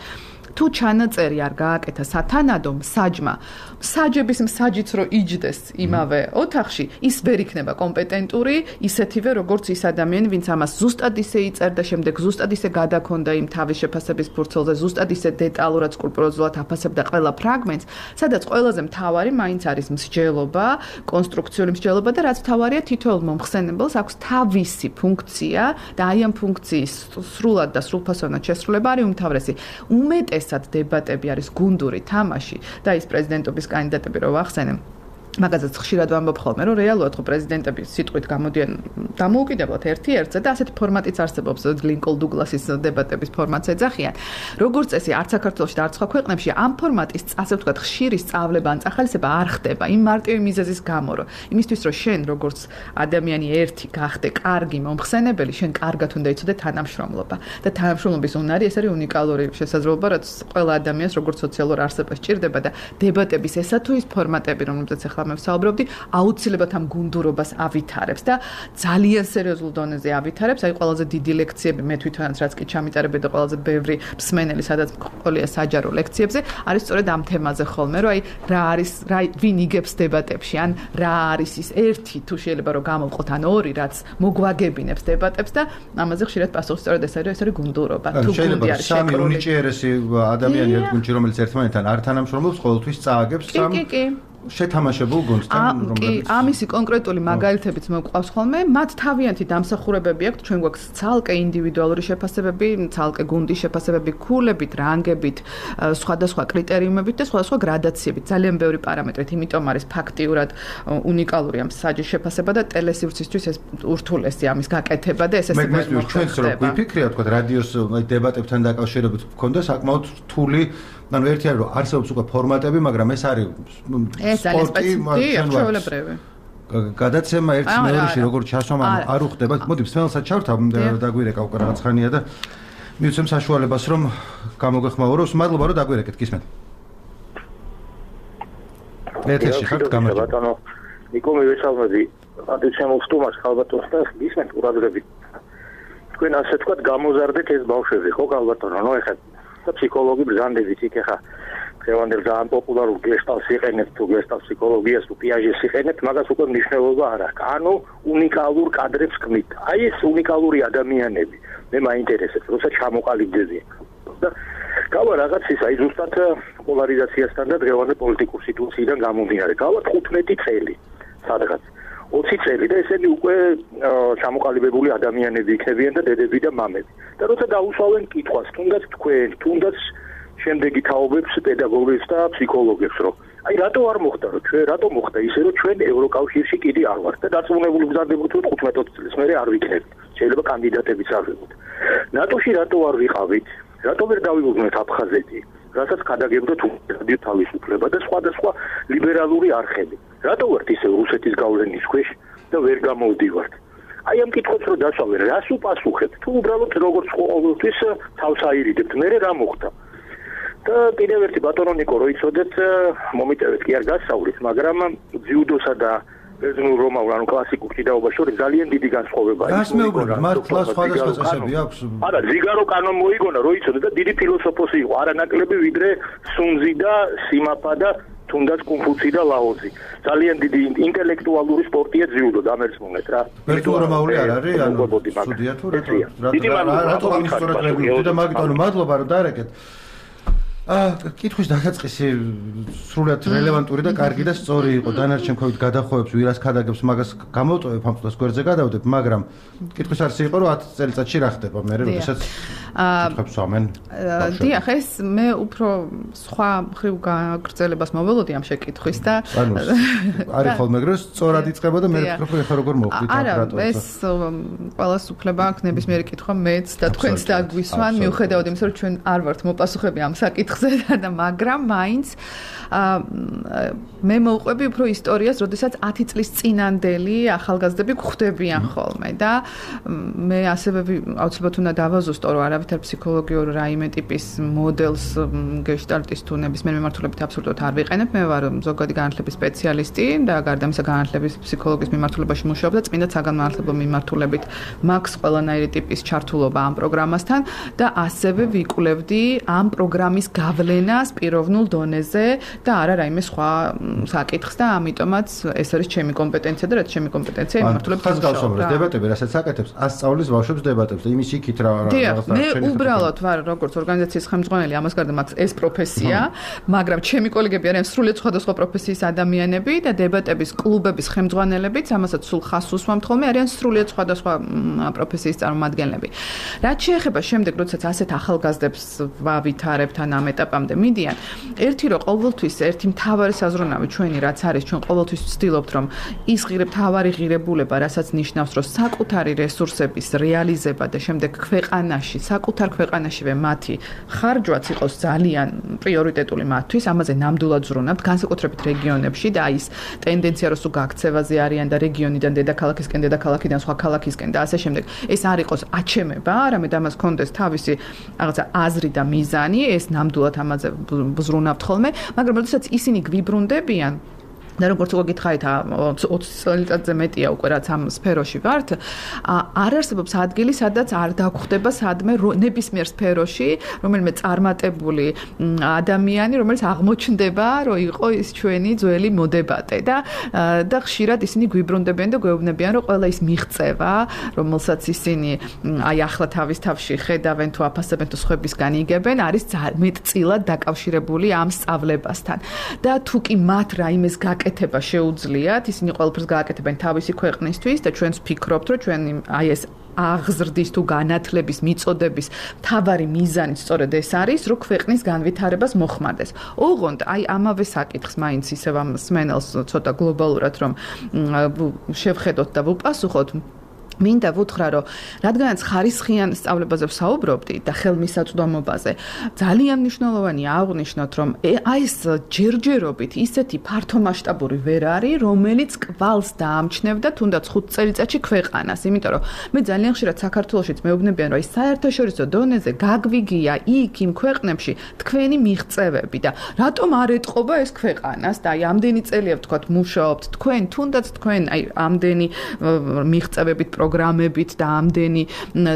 თუ ჩანაწერი არ გააკეთა სათანადო მსაჯმა, მსაჯების მსაჯიც რო იჯდეს იმავე ოთახში, ის ვერ იქნება კომპეტენტური, ისეთივე როგორც ის ადამიანი, ვინც ამას ზუსტად ისე იწერდა, შემდეგ ზუსტად ისე გადაქონდა იმ თავის შეფასების ფურცელზე, ზუსტად ისე დეტალურად სკრუპულოზულად აფასებდა ყველა ფრაგმენტს, სადაც ყველაზე მთავარი მაინც არის მსჯელობა, კონსტრუქციული მსჯელობა და რაც მთავარია, თითოეულ მომხსენებელს აქვს თავისი ფუნქცია და აი ამ ფუნქციის სრულად და სრულფასოვნად შესრულება არის უმთავრესი. უმეტეს ესად დებატები არის გუნდური თამაში და ის პრეზიდენტობის კანდიდატები რო ვახსენე, მაგაზეც ხშირად ვამბობ ხოლმე, რომ რეალურად ხო პრეზიდენტები სიტყვით გამოდიან დამოუკიდებლად ერთი ერთზე და ასეთი ფორმატიც არსებობს, ლინკოლ დუგლასის დებატების ფორმატს ეძახიან. როგორც წესი, არც საქართველოში და არც სხვა ქვეყნებში ამ ფორმატის, ასე ვთქვათ, ხშირი სწავლება ან წახალისება არ ხდება იმ მარტივი მიზეზის გამო, რომ იმისთვის, რომ შენ როგორც ადამიანი ერთი გახდე კარგი მომხსენებელი, შენ კარგად უნდა იცოდე თანამშრომლობა და თანამშრომლობის უნარი ეს არის უნიკალური შესაძლებლობა, რაც ყველა ადამიანს როგორც სოციალურ არსებას ჭირდება და დებატების ესა თუ ის ფორმატები, რომლებზეც ახლა მე ვსაუბრობდი, აუცილებლად ამ გუნდურობას ავითარებს და ძალიან სერიოზულ დონეზე ავითარებს. აი ყველაზე დიდი ლექციები მე თვითონაც რაც კი ჩამიტარებდი და ყველაზე ბევრი მსმენელი, სადაც მყოლია საჯარო ლექციებზე, არის სწორედ ამ თემაზე ხოლმე, რომ აი რა არის, რა ვინ იგებს დებატებში, ან რა არის ის ერთი თუ შეიძლება რომ გამოვყოთ, ან ორი, რაც მოგვაგებინებს დებატებს და ამაზე ხშირად პასუხი სწორედ ეს არის, ეს არის გუნდურობა. თუ გუნდი არის სამი უნიჭიერესი ადამიანი ერთ გუნდში, რომელიც ერთმანეთთან არ თანამშრომლობს, ყოველთვის წააგებს სამ შეთამაშებულ გუნდთან, რომლებიც ამისი კონკრეტული მაგალითებიც მოყვავს ხოლმე, მათ თავიანთი დამსახურებები აქვთ, ჩვენ გვაქვს ცალკე ინდივიდუალური შეფასებები, ცალკე გუნდის შეფასებები, ქულებით, რანგებით, სხვადასხვა კრიტერიუმებით და სხვადასხვა გრადაციებით, ძალიან ბევრი პარამეტრით, იმიტომ არის ფაქტიურად უნიკალური ამ საჯის შეფასება და ტელესივრცისთვის ეს ურთულესი ამის გაკეთება და ესე მე ჩვენც რო ვიფიქრია, თქვა რადიოს დებატებთან დაკავშირებით გქონდა საკმაოდ რთული ანუ ერთი არის რომ არსებობს უკვე ფორმატები, მაგრამ ეს არის სპორტი, ჩვეულებრივი. გადაცემა ერთ მეორეში როგორ ჩასვლა არ უხდება. მოდი სპეციალურად ჩავრთავ დაგვირეკა უკვე რაღაც ხანია და მივცემ საშუალებას რომ გამოგეხმაუროს. მადლობა რომ დაგვირეკეთ, გისმენთ. ეთერში ხართ გამარჯობა. ბატონო ნიკო მივესალმები. ადეცემულ სტუმარს ხალბატონს და გისმენთ ყურადღებით. თქვენ ასე თქვა გამოზარდეთ ეს ბავშვები, ხო ხალბატონო? ნუ ეხლა და ფსიქოლოგი ბრძანდებით იქ ახლა დღევანდელ ძალიან პოპულარულ გესტალს იყენებთ თუ გესტალ ფსიქოლოგიას თუ პიაჟეს იყენებთ, მაგას უკვე მნიშვნელობა არ აქვს. ანუ უნიკალურ კადრებს ქმნით. აი ეს უნიკალური ადამიანები მე მაინტერესებს, როცა ჩამოყალიბდებიან. და გავა რაღაც ის აი ზუსტად პოლარიზაციასთან და დღევანდელ პოლიტიკურ სიტუაციიდან გამომდინარე. გავა თხუთმეტი წელი სადღაც ოცი წელი და ესენი უკვე ჩამოყალიბებული ადამიანები იქნებიან და დედები და მამები. და როცა დაუსვავენ კითხვას, თუნდაც თქვენ, თუნდაც შემდეგი თაობებს, პედაგოგებს და ფსიქოლოგებს, რომ აი რატო არ მოხდა, რომ ჩვენ რატო მოხდა ისე, რომ ჩვენ ევროკავშირში კიდე არ ვართ და დაწუნებული გზადებოთ, რომ თხუთმეტ წელს მერე არ ვიქნებით. შეიძლება კანდიდატებიც არ ვიყოთ. ნატოში რატო არ ვიყავით? რატო ვერ დავიუღოთ აფხაზეთი? რასაც გადაგებდოთ რადიო თავისუფლება და სხვადასხვა ლიბერალური არხები. რატო ვართ ისე რუსეთის გავლენის ქვეშ და ვერ გამოვდივართ? აი ამ კითხვებს რო დასვავენ, რას უპასუხებთ? თუ უბრალოდ როგორც ყოველთვის თავს აირიდებთ, მერე რა მოხდა? და კიდევ ერთი ბატონო ნიკო რო იცოდეთ, მომიტევეთ კი არ გასწავლით, მაგრამ ძიუდოსა და ბერძნულ რომაულ ანუ კლასიკურ ჭიდაობას შორის ძალიან დიდი განსხვავებაა. რას მეუბნებთ? მართლა სხვადასხვა წესები აქვს? არა, ზიგარო კანონ მოიგონა, რო იცოდეთ და დიდი ფილოსოფოსი იყო, არანაკლები ვიდრე სუნზი და სიმაფა და თუნდაც კონფუცი და ლაოზი. ძალიან დიდი ინტელექტუალური სპორტია ძიუდო, დამერწმუნეთ რა. ბერძნულ რომაული არ არის, ანუ სტუდია თუ რატო? რატო ამის სწორად რეგულირებთ და მაგით ანუ მადლობა რომ დაარეკეთ. აა კითხვის დასაწყისი სრულად რელევანტური და კარგი და სწორი იყო. დანარჩენ ქვევით გადახოვებს, ვირას ქადაგებს, მაგას გამოვტოვებ, ამ წუთას გვერდზე გადავდებ, მაგრამ კითხვის არსი იყო, რომ ათი წელიწადში რა ხდება, მე როდესაც კითხებს ვამენ. დიახ, ეს მე უფრო სხვა მხრივ გაგრძელებას მოველოდი ამ შეკითხვის და ანუ არის ხოლმე ეგრე სწორად იწყება და მე ვფიქრობ, ხა როგორ მოვხდით ამ რატო. არა, ეს ყველას უფლება აქვს ნებისმიერი კითხვა მეც და თქვენც დაგვისვან, მიუხედავად იმისა, რომ ჩვენ არ ვართ მოპასუხები ამ საკითხს და მაგრამ მაინც მე მოვყვები უფრო ისტორიას, როდესაც ათი წლის წინანდელი ახალგაზრდები გვხვდებიან ხოლმე და მე ასევე აუცილებლად უნდა დავაზუსტო, რომ არავითარ ფსიქოლოგიურ რაიმე ტიპის მოდელს გეშტალტის თუ ნებისმიერ მიმართულებით აბსოლუტურად არ ვიყენებ. მე ვარ ზოგადი განათლების სპეციალისტი და გარდა ამისა განათლების ფსიქოლოგიის მიმართულებაში მუშაობ და წმინდა საგანმანათლებლო მიმართულებით მაქვს ყველანაირი ტიპის ჩართულობა ამ პროგრამასთან და ასევე ვიკვლევდი ამ პროგრამის გავლენას პიროვნულ დონეზე და არა რაიმე სხვა საკითხს და ამიტომაც ეს არის ჩემი კომპეტენცია და რაც ჩემი კომპეტენცია მიმართულებით ხაზგასმის დებატები, რასაც აკეთებს, ასწავლის ბავშვებს დებატებს და იმის იქით რა რაღაცა მე უბრალოდ ვარ როგორც ორგანიზაციის ხელმძღვანელი, ამას გარდა მაქვს ეს პროფესია, მაგრამ ჩემი კოლეგები არიან სრულიად სხვადასხვა პროფესიის ადამიანები და დებატების კლუბების ხელმძღვანელებიც, ამასაც სულ ხაზს უსვამთ ხოლმე, არიან სრულიად სხვადასხვა პროფესიის წარმომადგენლები. რაც შეეხება შემდეგ, როდესაც ასეთ ახალგაზრდებს ვავითარებთ ან ამ ეტაპამდე მიდიან, ერთი რომ ყოველთვის ერთი მთავარი საზრუნავი ჩვენი რაც არის, ჩვენ ყოველთვის ვცდილობთ რომ ის ღირებ თავარი ღირებულება, რასაც ნიშნავს რომ საკუთარი რესურსების რეალიზება და შემდეგ ქვეყანაში, საკუთარ ქვეყანაშივე მათი ხარჯვაც იყოს ძალიან პრიორიტეტული მათთვის, ამაზე ნამდვილად ზრუნავთ, განსაკუთრებით რეგიონებში და ის ტენდენცია რომ სულ გაქცევაზე არიან და რეგიონიდან დედაქალაქისკენ, დედაქალაქიდან სხვა ქალაქისკენ და ასე შემდეგ, ეს არ იყოს აჩემება, არამედ ამას კონდეს თავისი რაღაცა აზრი და მიზანი, ეს ნამდვილად ამაზე ზრუნავთ ხოლმე, მაგრამ როდესაც ისინი გვიბრუნდებიან და როგორც უკვე გითხარით, ოცი წელიწადზე მეტია უკვე რაც ამ სფეროში ვართ, არ არსებობს ადგილი, სადაც არ დაგხვდება სადმე ნებისმიერ სფეროში, რომელიმე წარმატებული ადამიანი, რომელიც აღმოჩნდება, რომ იყო ის ჩვენი ძველი მოდებატე და და ხშირად ისინი გვიბრუნდებიან და გვეუბნებიან, რომ ყველა ის მიღწევა, რომელსაც ისინი აი ახლა თავის თავში ხედავენ თუ აფასებენ თუ სხვებისგან იგებენ, არის მეტწილად დაკავშირებული ამ სწავლებასთან. და თუ კი მათ რაიმეს გაკეთება შეუძლიათ, ისინი ყველაფერს გააკეთებენ თავისი ქვეყნისთვის და ჩვენს ვფიქრობთ, რომ ჩვენი აი ეს აღზრდის თუ განათლების მიწოდების მთავარი მიზანი სწორედ ეს არის, რომ ქვეყნის განვითარებას მოხმარდეს. ოღონდ აი ამავე საკითხს მაინც ისევ ამ სმენელს ცოტა გლობალურად რომ შევხედოთ და ვუპასუხოთ. მინდა ვუთხრა, რომ რადგანაც ხარისხიან სწავლებაზე ვსაუბრობდი და ხელმისაწვდომობაზე, ძალიან მნიშვნელოვანია აღვნიშნოთ, რომ აი ეს ჯერჯერობით ისეთი ფართომასშტაბური ვერ არის, რომელიც კვალს დაამჩნევდა თუნდაც ხუთ წელიწადში ქვეყანას, იმიტომ რომ მე ძალიან ხშირად საქართველოშიც მეუბნებიან, რომ აი საერთაშორისო დონეზე გაგვიგია იქ იმ ქვეყნებში თქვენი მიღწევები და რატომ არ ეტყობა ეს ქვეყანას და აი ამდენი წელია ვთქვათ მუშაობთ თქვენ, თუნდაც თქვენ აი ამდენი მიღწევებით პროგრამებით და ამდენი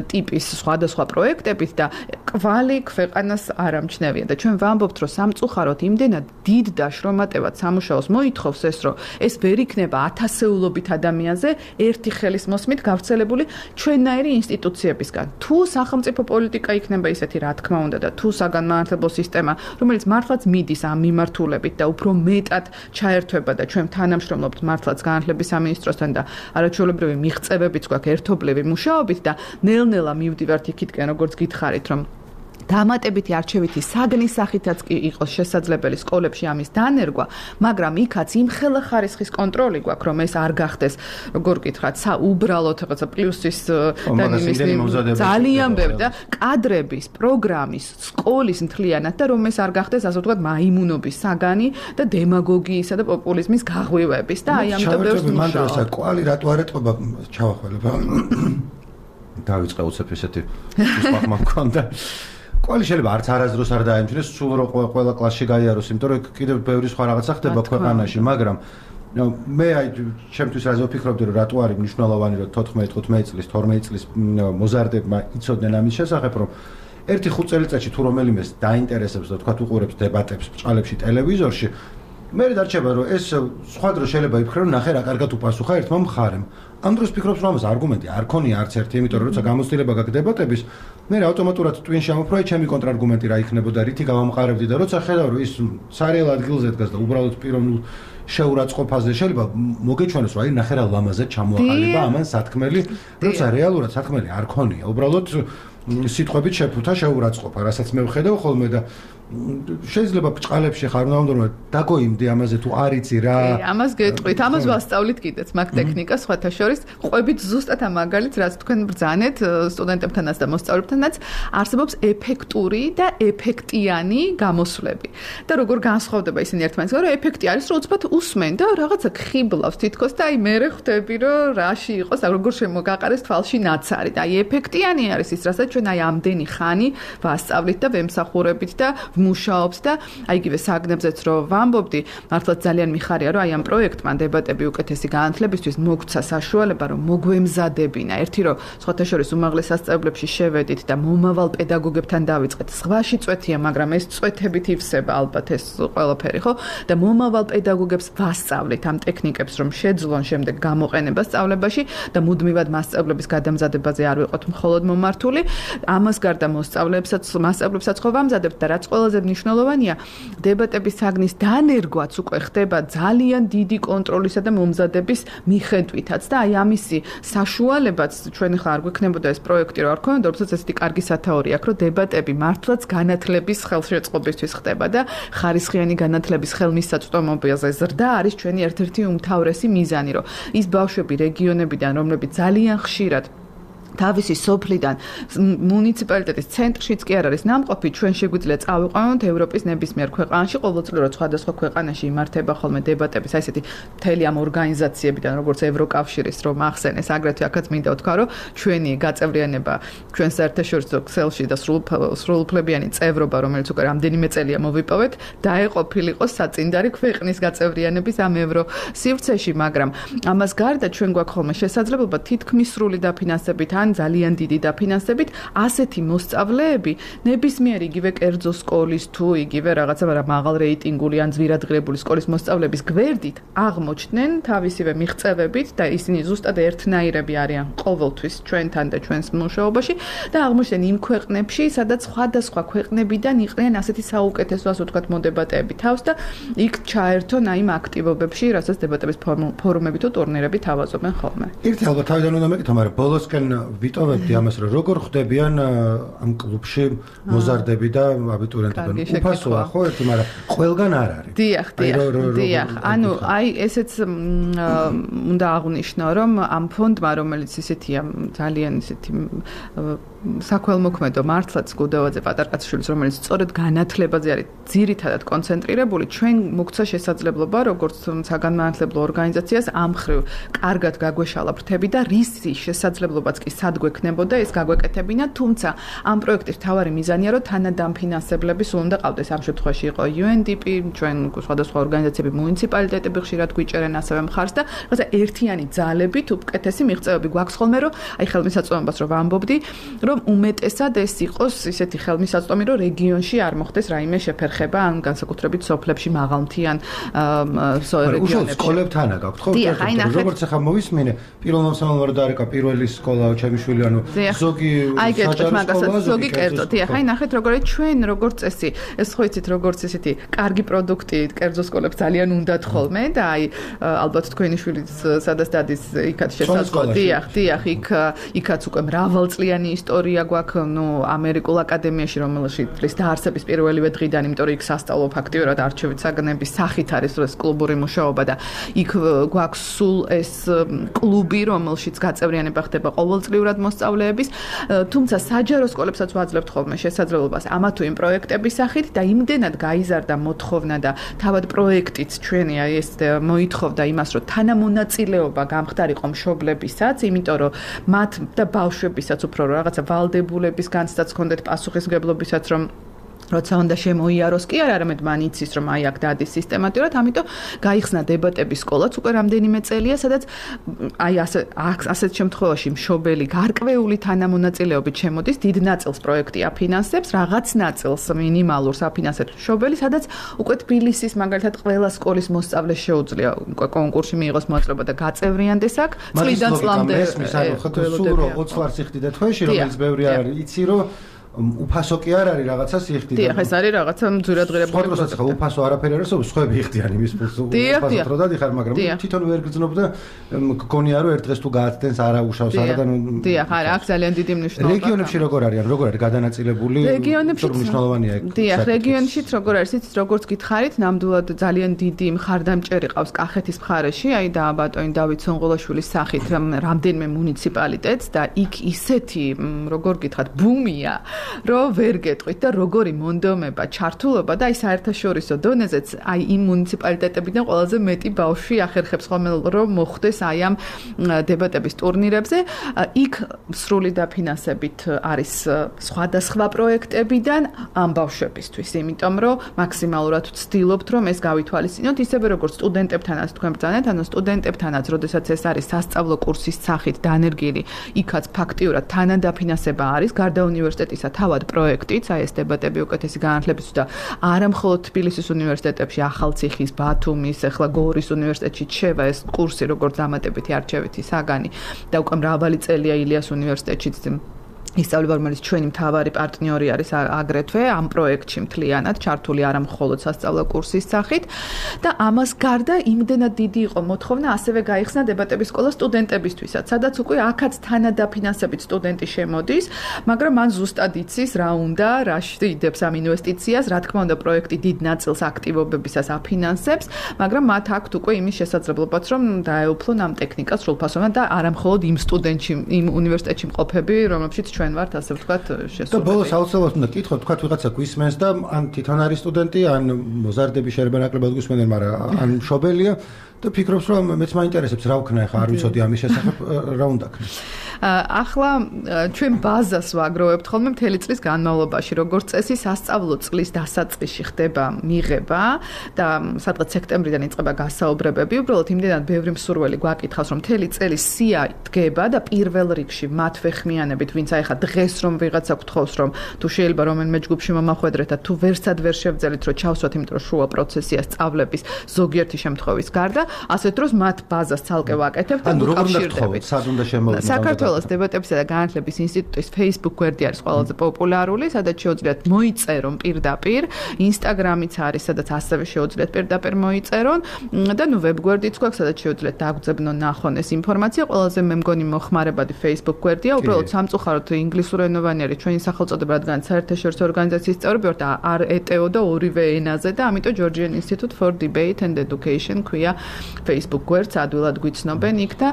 ტიპის სხვადასხვა პროექტებით და კვალი ქვეყანას არ ამჩნევია და ჩვენ ვამბობთ, რომ სამწუხაროდ იმდენად დიდ და შრომატევად სამუშაოს მოითხოვს ეს, რომ ეს ვერ იქნება ათასეულობით ადამიანზე ერთი ხელის მოსმით გავრცელებული ჩვენნაირი ინსტიტუციებისგან. თუ სახელმწიფო პოლიტიკა იქნება ისეთი, რა თქმა უნდა, და თუ საგანმანათლებლო სისტემა, რომელიც მართლაც მიდის ამ მიმართულებით და უფრო მეტად ჩაერთვება და ჩვენ თანამშრომლობთ მართლაც განათლების სამინისტროსთან და არაჩვეულებრივი მიღწევებიც გვაქვს ერთობლივი მუშაობით და ნელ-ნელა მივდივართ იქითკენ, როგორც გითხარით, რომ დამატებითი არჩევითი საგნის სახითაც კი იყოს შესაძლებელი სკოლებში ამის დანერგვა, მაგრამ იქაც იმხელა ხარისხის კონტროლი გვაქვს, რომ ეს არ გახდეს, როგორ გითხრათ, უბრალოდ რაღაცა პლუსის და იმის ძალიან ბევრი და კადრების, პროგრამის, სკოლის მთლიანად და რომ ეს არ გახდეს, ასე ვთქვათ, მაიმუნობის საგანი და დემაგოგიისა და პოპულიზმის გაღვივების და აი ამიტომ ბევრს მუშაობ. კვალი რატო არ ეტყობა ჩავახველება. დავიწყე უცებ ესეთი სპახმა მქონდა. კვალი შეიძლება არც არასდროს არ დაემჩნდეს, სულ რო ყველა კლასში გაიაროს, იმიტომ რომ კიდევ ბევრი სხვა რაღაცა ხდება ქვეყანაში, მაგრამ მე აი ჩემთვის რაზე ვფიქრობდი, რომ რატო არის მნიშვნელოვანი, რომ თოთხმეტი ხუთმეტი წლის, თორმეტი წლის მოზარდებმა იცოდნენ ამის შესახებ, რომ ერთი ხუთ წელიწადში თუ რომელიმეს დაინტერესებს და თქვა უყურებს დებატებს ბჭყალებში ტელევიზორში, მე დარჩება, რომ ეს სხვა დრო შეიძლება იფიქრე, რომ ნახე რა კარგად უპასუხა ერთმა მხარემ. ამ დროს ფიქრობს, რომ ამას არგუმენტი არ ქონია არც ერთი, იმიტომ რომ როცა გამოცდილება გაქვს დებატების, მე ავტომატურად ტვინში ამოფროე ჩემი კონტრარგუმენტი რა იქნებოდა, რითი გავამყარებდი და როცა ხედავ, რომ ის სარიელ ადგილზე დგას და უბრალოდ პიროვნულ შეურაცხყოფაზე შეიძლება მოგეჩვენოს, რომ აი ნახე რა ლამაზად ჩამოაყალიბა ამან სათქმელი, როცა რეალურად სათქმელი არ ქონია, უბრალოდ სიტყვებით შეფუთა შეურაცხყოფა, რასაც მე ვხედავ ხოლმე და შეიძლება ბჭყალებში ხარ უნდა რომ დაგოიმდი ამაზე თუ არ იცი რა. ამას გეტყვით, ამას ვასწავლით კიდეც მაგ ტექნიკას სხვათა შორის, ყვებით ზუსტად ამ მაგალითს, რაც თქვენ ბრძანეთ სტუდენტებთანაც და მოსწავლეებთანაც, არსებობს ეფექტური და ეფექტიანი გამოსვლები. და როგორ განსხვავდება ისინი ერთმანეთისგან, რომ ეფექტი არის, რომ უცბად усმენ და რაღაცა ხიბლავს თითქოს და აი მე ხვდები, რომ რაში იყოს, როგორ შემოგაყარეს თვალში ნაცარი. და აი ეფექტიანი არის ის, რასაც ჩვენ აი ამდენი ხანი ვასწავლით და ვემსახურებით და ვმუშაობთ და აი იგივე საგნებზეც რომ ვამბობდი, მართლაც ძალიან მიხარია, რომ აი ამ პროექტმა დებატები უკეთესი განათლებისთვის მოგცა საშუალება, რომ მოგვემზადებინა. ერთი რომ სხვათა შორის უმაღლეს სასწავლებლებში შევედით და მომავალ პედაგოგებთან დავიწყეთ. სხვაში წვეთია, მაგრამ ეს წვეთებით ივსება ალბათ ეს ყველაფერი, ხო? და მომავალ პედაგოგებს ვასწავლეთ ამ ტექნიკებს, რომ შეძლონ შემდეგ გამოყენება სწავლებაში და მუდმივად მასწავლებლების გადამზადებაზე არ ვიყოთ მხოლოდ მომართული. ამას გარდა მოსწავლეებსაც, მასწავლებლებსაც ხო ვამზადებთ და რაც ყველაზე მნიშვნელოვანია, დებატების საგნის დანერგვაც უკვე ხდება ძალიან დიდი კონტროლისა და მომზადების მიხედვითაც და აი ამისი საშუალებაც ჩვენ ხა არ გვექნებოდა ეს პროექტი რო არ ქონოდა, როდესაც ესეთი კარგი სათაური აქვს, რომ დებატები მართლაც განათლების ხელშეწყობისთვის ხდება და ხარისხიანი განათლების ხელმისაწვდომობაზე ზრდა არის ჩვენი ერთ-ერთი უმთავრესი მიზანი, რომ ის ბავშვები რეგიონებიდან, რომლებიც ძალიან ხშირად თავისი სოფლიდან მუნიციპალიტეტის ცენტრშიც კი არ არის ნამყოფი, ჩვენ შეგვიძლია წავიყვანოთ ევროპის ნებისმიერ ქვეყანაში, ყოველწლიურად სხვადასხვა ქვეყანაში იმართება ხოლმე დებატები, აი ესეთი მთელი ამ ორგანიზაციებიდან, როგორც ევროკავშირის რომ ახსენეს, აგრეთვე აქაც მინდა ვთქვა, რომ ჩვენი გაწევრიანება, ჩვენ საერთაშორისო ქსელში და სრულუფლებიანი წევრობა, რომელიც უკვე რამდენიმე წელია მოვიპოვეთ, დაეყოფილიყო საწინდარი ქვეყნის გაწევრიანების ამ ევრო სივრცეში, მაგრამ ამას გარდა ჩვენ გვაქვს ხოლმე შესაძლებლობა თითქმის სრული დაფინანსებით ან ძალიან დიდი დაფინანსებით ასეთი მოსწავლეები ნებისმიერ იგივე კერძო სკოლის თუ იგივე რაღაცა მაღალ რეიტინგული ან ძვირადღირებული სკოლის მოსწავლეების გვერდით აღმოჩნდნენ თავისივე მიღწევებით და ისინი ზუსტად ერთნაირები არიან ყოველთვის ჩვენთან და ჩვენს მუშაობაში და აღმოჩნდნენ იმ ქვეყნებში, სადაც სხვადასხვა ქვეყნებიდან იყვნენ ასეთი საუკეთესო, ასე ვთქვათ, მოდებატეები თავს და იქ ჩაერთონ აი იმ აქტივობებში, რასაც დებატების ფორუმები თუ ტურნირები თავაზობენ ხოლმე. ერთი ალბათ თავიდან უნდა მეკითხო, მაგრამ ბოლოსკენ ვიტოვებდი ამას, რომ როგორ ხდებიან ამ კლუბში მოზარდები და აბიტურიენტები. უფასოა ხო ერთი, მაგრამ ყველგან არ არის. დიახ, დიახ, დიახ. ანუ აი ესეც უნდა აღვნიშნო, რომ ამ ფონდმა, რომელიც ისეთია ძალიან ისეთი საქველმოქმედო მართლაც გუდოვაძე პატარკაციშვილის, რომელიც სწორედ განათლებაზე არის ძირითადად კონცენტრირებული, ჩვენ მოგცა შესაძლებლობა, როგორც საგანმანათლებლო ორგანიზაციას ამ მხრივ კარგად გაგვეშალა ფრთები და რისი შესაძლებლობაც კი სად გვექნებოდა ეს გაგვეკეთებინა, თუმცა ამ პროექტის მთავარი მიზანია, რომ თანადამფინანსებლები სულ უნდა ყავდეს. ამ შემთხვევაში იყო იუ ენ დი პი, ჩვენ სხვადასხვა ორგანიზაციები, მუნიციპალიტეტები ხშირად გვიჭერენ ასევე მხარს და რაღაცა ერთიანი ძალებით უკეთესი მიღწევები გვაქვს ხოლმე, რომ აი ხელმისაწვდომობას რომ ვამბობდი, რომ უმეტესად ეს იყოს ისეთი ხელმისაწვდომი, რომ რეგიონში არ მოხდეს რაიმე შეფერხება ან განსაკუთრებით სოფლებში მაღალმთიან რეგიონებში. უშუალოდ სკოლებთანა გაქვთ ხო? როგორც ახლა მოვისმინე, პირველ მომსავალმა რომ დაარეკა პირველი სკოლა ჩემი შვილი, ანუ ზოგი საჯარო ზოგი კერძო. დიახ, აი ნახეთ როგორია ჩვენ როგორც წესი, ეს ხო იცით როგორც ესეთი კარგი პროდუქტი კერძო სკოლებს ძალიან უნდათ ხოლმე და აი ალბათ თქვენი შვილიც სადაც დადის იქაც შესაძლოა. დიახ, დიახ, იქ იქაც უკვე მრავალწლიანი ისტორია გვაქვს, ნუ ამერიკულ აკადემიაში, რომელშიც დაარსების პირველივე დღიდან, იმიტომ რომ იქ სასწავლო ფაქტიურად არჩევით საგნების სახით არის ეს კლუბური მუშაობა და იქ გვაქვს სულ ეს კლუბი, რომელშიც გაწევრიანება ხდება ყოველწლიურად მოსწავლეების, თუმცა საჯარო სკოლებსაც ვაძლევთ ხოლმე შესაძლებლობას ამა თუ იმ პროექტების სახით და იმდენად გაიზარდა მოთხოვნა და თავად პროექტიც ჩვენი აი ეს მოითხოვდა იმას, რომ თანამონაწილეობა გამხდარიყო მშობლებისაც, იმიტომ რომ მათ და ბავშვებისაც უფრო რაღაცა ვალდებულების განცდაც ჰქონდეთ პასუხისმგებლობისაც, რომ როცა უნდა შემოიაროს კი არ არამედ მან იცის რომ აი აქ დადის სისტემატურად, ამიტომ გაიხსნა დებატების სკოლაც უკვე რამდენიმე წელია, სადაც აი ასე ასეთ შემთხვევაში მშობელი გარკვეული თანამონაწილეობით შემოდის, დიდ ნაწილს პროექტი აფინანსებს, რაღაც ნაწილს მინიმალურს აფინანსებს მშობელი, sadაც უკვე თბილისის მაგალითად ყველა სკოლის მოსწავლეს შეუძლია უკვე კონკურსში მიიღოს მოწვევა და გაწევრიანდეს აქ, წლიდან წლამდე. სულ რო ოცდაათი ლარს იხდიდა თვეში, რომელიც ბევრი არ იცი რომ უფასო კი არ არის რაღაცა სიხდიდა. დიახ, ეს არის რაღაცა ძვირადღირებული. სპორტსაც ხა უფასო არაფერი არის, სხვები იხდიან იმის ფულს. უფასოდ რო დადიხარ, მაგრამ თვითონ ვერ გძნობ და გქონია რომ ერთ დღეს თუ გააცდენს არა უშავს არა და დიახ, არა, აქ ძალიან დიდი მნიშვნელობა. რეგიონებში როგორ არიან, როგორ არის გადანაწილებული? რეგიონებში მნიშვნელოვანია ეგ. დიახ, რეგიონშიც როგორ არის, იცით, როგორც გითხარით, ნამდვილად ძალიან დიდი მხარდამჭერი ყავს კახეთის მხარეში, აი და ბატონი დავით სონღოლაშვილის სახით რამდენიმე მუნიციპალიტეტს და იქ ისეთი, როგორ გითხრათ, ბუმია რომ ვერ გეტყვით და როგორი მონდომება, ჩართულობა და აი საერთაშორისო დონეზეც აი იმ მუნიციპალიტეტებიდან ყველაზე მეტი ბავშვი ახერხებს ხოლმე რომ მოხვდეს აი ამ დებატების ტურნირებზე. იქ სრული დაფინანსებით არის სხვადასხვა პროექტებიდან ამ ბავშვებისთვის, იმიტომ რომ მაქსიმალურად ვცდილობთ რომ ეს გავითვალისწინოთ, ისევე როგორც სტუდენტებთანაც თქვენ ბრძანეთ, ანუ სტუდენტებთანაც, როდესაც ეს არის სასწავლო კურსის სახით დანერგილი, იქაც ფაქტიურად თანადაფინანსება არის გარდა უნივერსიტეტისა თავად პროექტიც, აი ეს დებატები უკეთესი განათლების და არა მხოლოდ თბილისის უნივერსიტეტებში, ახალციხის, ბათუმის, ახლა გორის უნივერსიტეტში შევა ეს კურსი, როგორც დამატებითი არჩევითი საგანი და უკვე მრავალი წელია ილიას უნივერსიტეტშიც ისწავლება, რომელიც ჩვენი მთავარი პარტნიორი არის აგრეთვე ამ პროექტში მთლიანად ჩართული არა მხოლოდ სასწავლო კურსის სახით და ამას გარდა იმდენად დიდი იყო მოთხოვნა ასევე გაიხსნა დებატების სკოლა სტუდენტებისთვისაც, სადაც უკვე აქაც თანადაფინანსებით სტუდენტი შემოდის, მაგრამ მან ზუსტად იცის რა უნდა, რა შეიძლება ამ ინვესტიციას, რა თქმა უნდა პროექტი დიდ ნაწილს აქტივობებისას აფინანსებს, მაგრამ მათ აქვთ უკვე იმის შესაძლებლობაც, რომ დაეუფლონ ამ ტექნიკას სრულფასოვნად და არა მხოლოდ იმ სტუდენტში, იმ უნივერსიტეტში მყოფები, რომლებშიც ჩვენ ვართ, ასე ვთქვათ, შესულები. და ბოლოს აუცილებლად უნდა კითხოთ, თქვათ ვიღაცა გვისმენს და ან თვითონ არის სტუდენტი, ან მოზარდები შეიძლება ნაკლებად გვისმენენ, მაგრამ ან მშობელია და ფიქრობს, რომ მეც მაინტერესებს რა ვქნა ახლა, არ ვიცოდი ამის შესახებ, რა უნდა ქნა. ახლა ჩვენ ბაზას ვაგროვებთ ხოლმე მთელი წლის განმავლობაში, როგორც წესი სასწავლო წლის დასაწყისში ხდება მიღება და სადღაც სექტემბრიდან იწყება გასაუბრებები, უბრალოდ იმდენად ბევრი მსურველი გვაკითხავს, რომ მთელი წელი სია დგება და პირველ რიგში მათ ვეხმიანებით, ვინც აი ხა დღეს რომ ვიღაცა გთხოვს, რომ თუ შეიძლება რომელიმე ჯგუფში მომახვედრეთ და თუ ვერსად ვერ შევძელით, რომ ჩავსვათ, იმიტომ რომ შუა პროცესია სწავლების ზოგიერთი შემთხვევის გარდა, ასეთ დროს მათ ბაზას ცალკე ვაკეთებთ და უკავშირდებით. სად უნდა შემოვიდეს? საქართველოს დებატებისა და განათლების ინსტიტუტის Facebook გვერდი არის ყველაზე პოპულარული, სადაც შეუძლიათ მოიწერონ პირდაპირ, Instagram-იც არის, სადაც ასევე შეუძლიათ პირდაპირ მოიწერონ და ნუ ვებგვერდიც გვაქვს, სადაც შეუძლიათ დაგძებნონ, ნახონ ეს ინფორმაცია. ყველაზე მე მგონი მოხმარებადი Facebook გვერდია, უბრალოდ სამწუხაროდ ინგლისურენოვანი არის ჩვენი სახელწოდება, რადგან საერთაშორისო ორგანიზაციის წევრები ვართ, არ ეტეო და ორივე ენაზე და ამიტომ Georgian Institute for Debate and Education ქვია Facebook გვერდს, ადვილად გვიცნობენ იქ და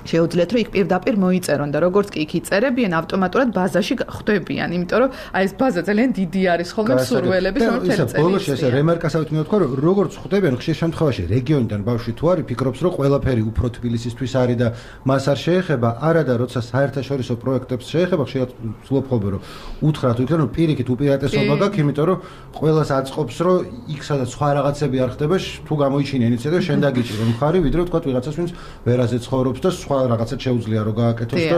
შეუძლიათ რომ იქ პირდაპირ მოიწერონ და როგორც კი იქ იწერებიან ავტომატურად ბაზაში ხვდებიან, იმიტომ რომ აი ეს ბაზა ძალიან დიდი არის ხოლმე მსურველების რომელიც ეს ბოლოს ეს რემარკასავით მინდა თქვა რომ როგორც ხვდებიან ხშირ შემთხვევაში რეგიონიდან ბავშვი თუ არის ფიქრობს რომ ყველაფერი უფრო თბილისისთვის არის და მას არ შეეხება, არა და როცა საერთაშორისო პროექტებს შეეხება ხშირად ვცდილობ ხოლმე რომ უთხრათ იქიდან რომ პირიქით უპირატესობა გაქვს, იმიტომ რომ ყველას აწყობს რომ იქ სადაც სხვა რაღაცები არ ხდება, თუ გამოიჩინე ინიციატივა შენ დაგიჭირო მხარი, ვიდრე თქვა ვიღაცას ვინც ვერაზე ცხოვრობს და რაღაცა შეუძლია რომ გააკეთოს და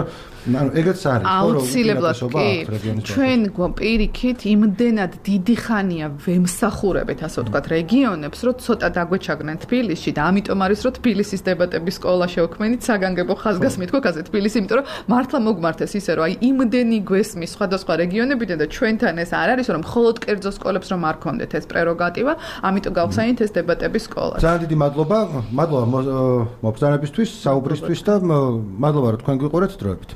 ანუ ეგეც არის ხო რომ უპირატესობა აქვს რეგიონის ჩვენ პირიქით იმდენად დიდი ხანია ვემსახურებით ასე ვთქვათ რეგიონებს რომ ცოტა დაგვეჩაგნენ თბილისში და ამიტომ არის რომ თბილისის დებატების სკოლა შევქმნით საგანგებო ხაზგასმით ხო კაზე თბილისი იმიტომ რომ მართლა მოგმართეს ისე რომ აი იმდენი გვესმის სხვადასხვა რეგიონებიდან და ჩვენთან ეს არ არის რომ მხოლოდ კერძო სკოლებს რომ არ ქონდეთ ეს პრეროგატივა ამიტომ გავხსენით ეს დებატების სკოლა ძალიან დიდი მადლობა მადლობა მობრძანებისთვის საუბრისთვის და მადლობა რომ თქვენ გვიყურეთ დროებით.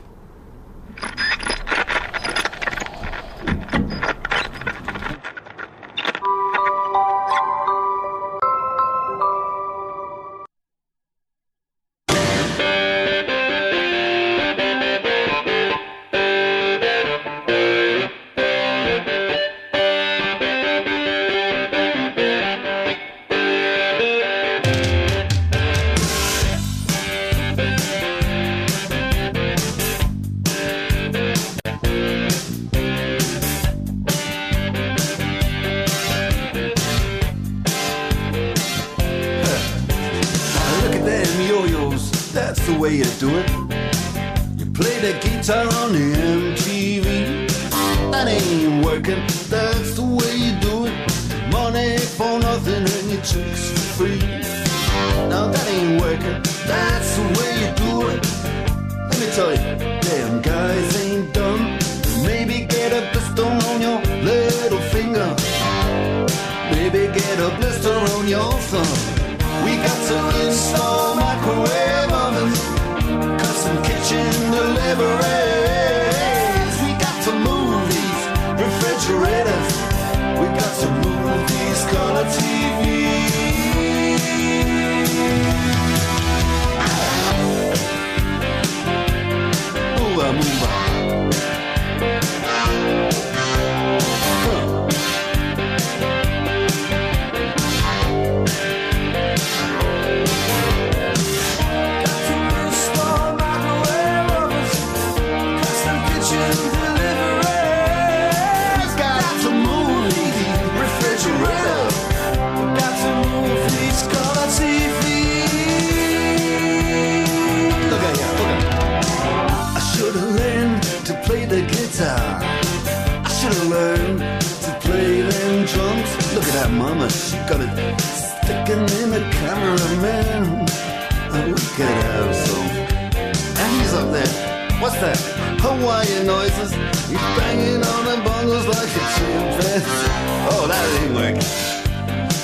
What's that? Hawaiian noises. He's banging on them bongos like a chimpanzee. Oh, that ain't working.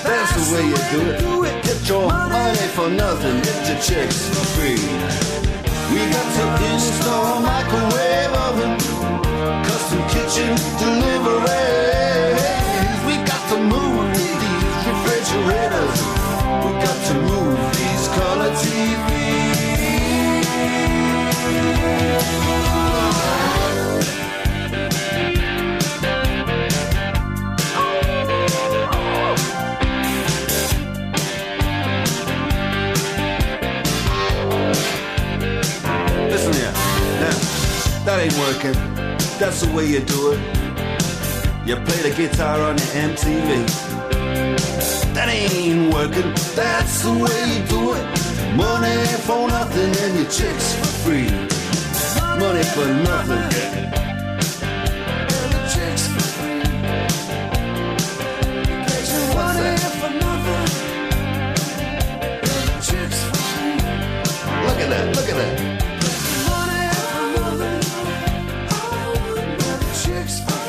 That's the way you do it. Get your money for nothing, get your chicks for free. We got to install a microwave oven, custom kitchen deliveries. We got to move these refrigerators. We got to move these color T Vs. Listen here, now, that ain't working. That's the way you do it. You play the guitar on your M T V. That ain't working. That's the way you do it. Money for nothing and your chicks for free. Money for nothing. And your chicks for free. Money for nothing. And your chicks for free. Look at that, look at that. Money for nothing. And your chicks for free.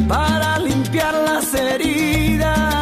Para limpiar las heridas.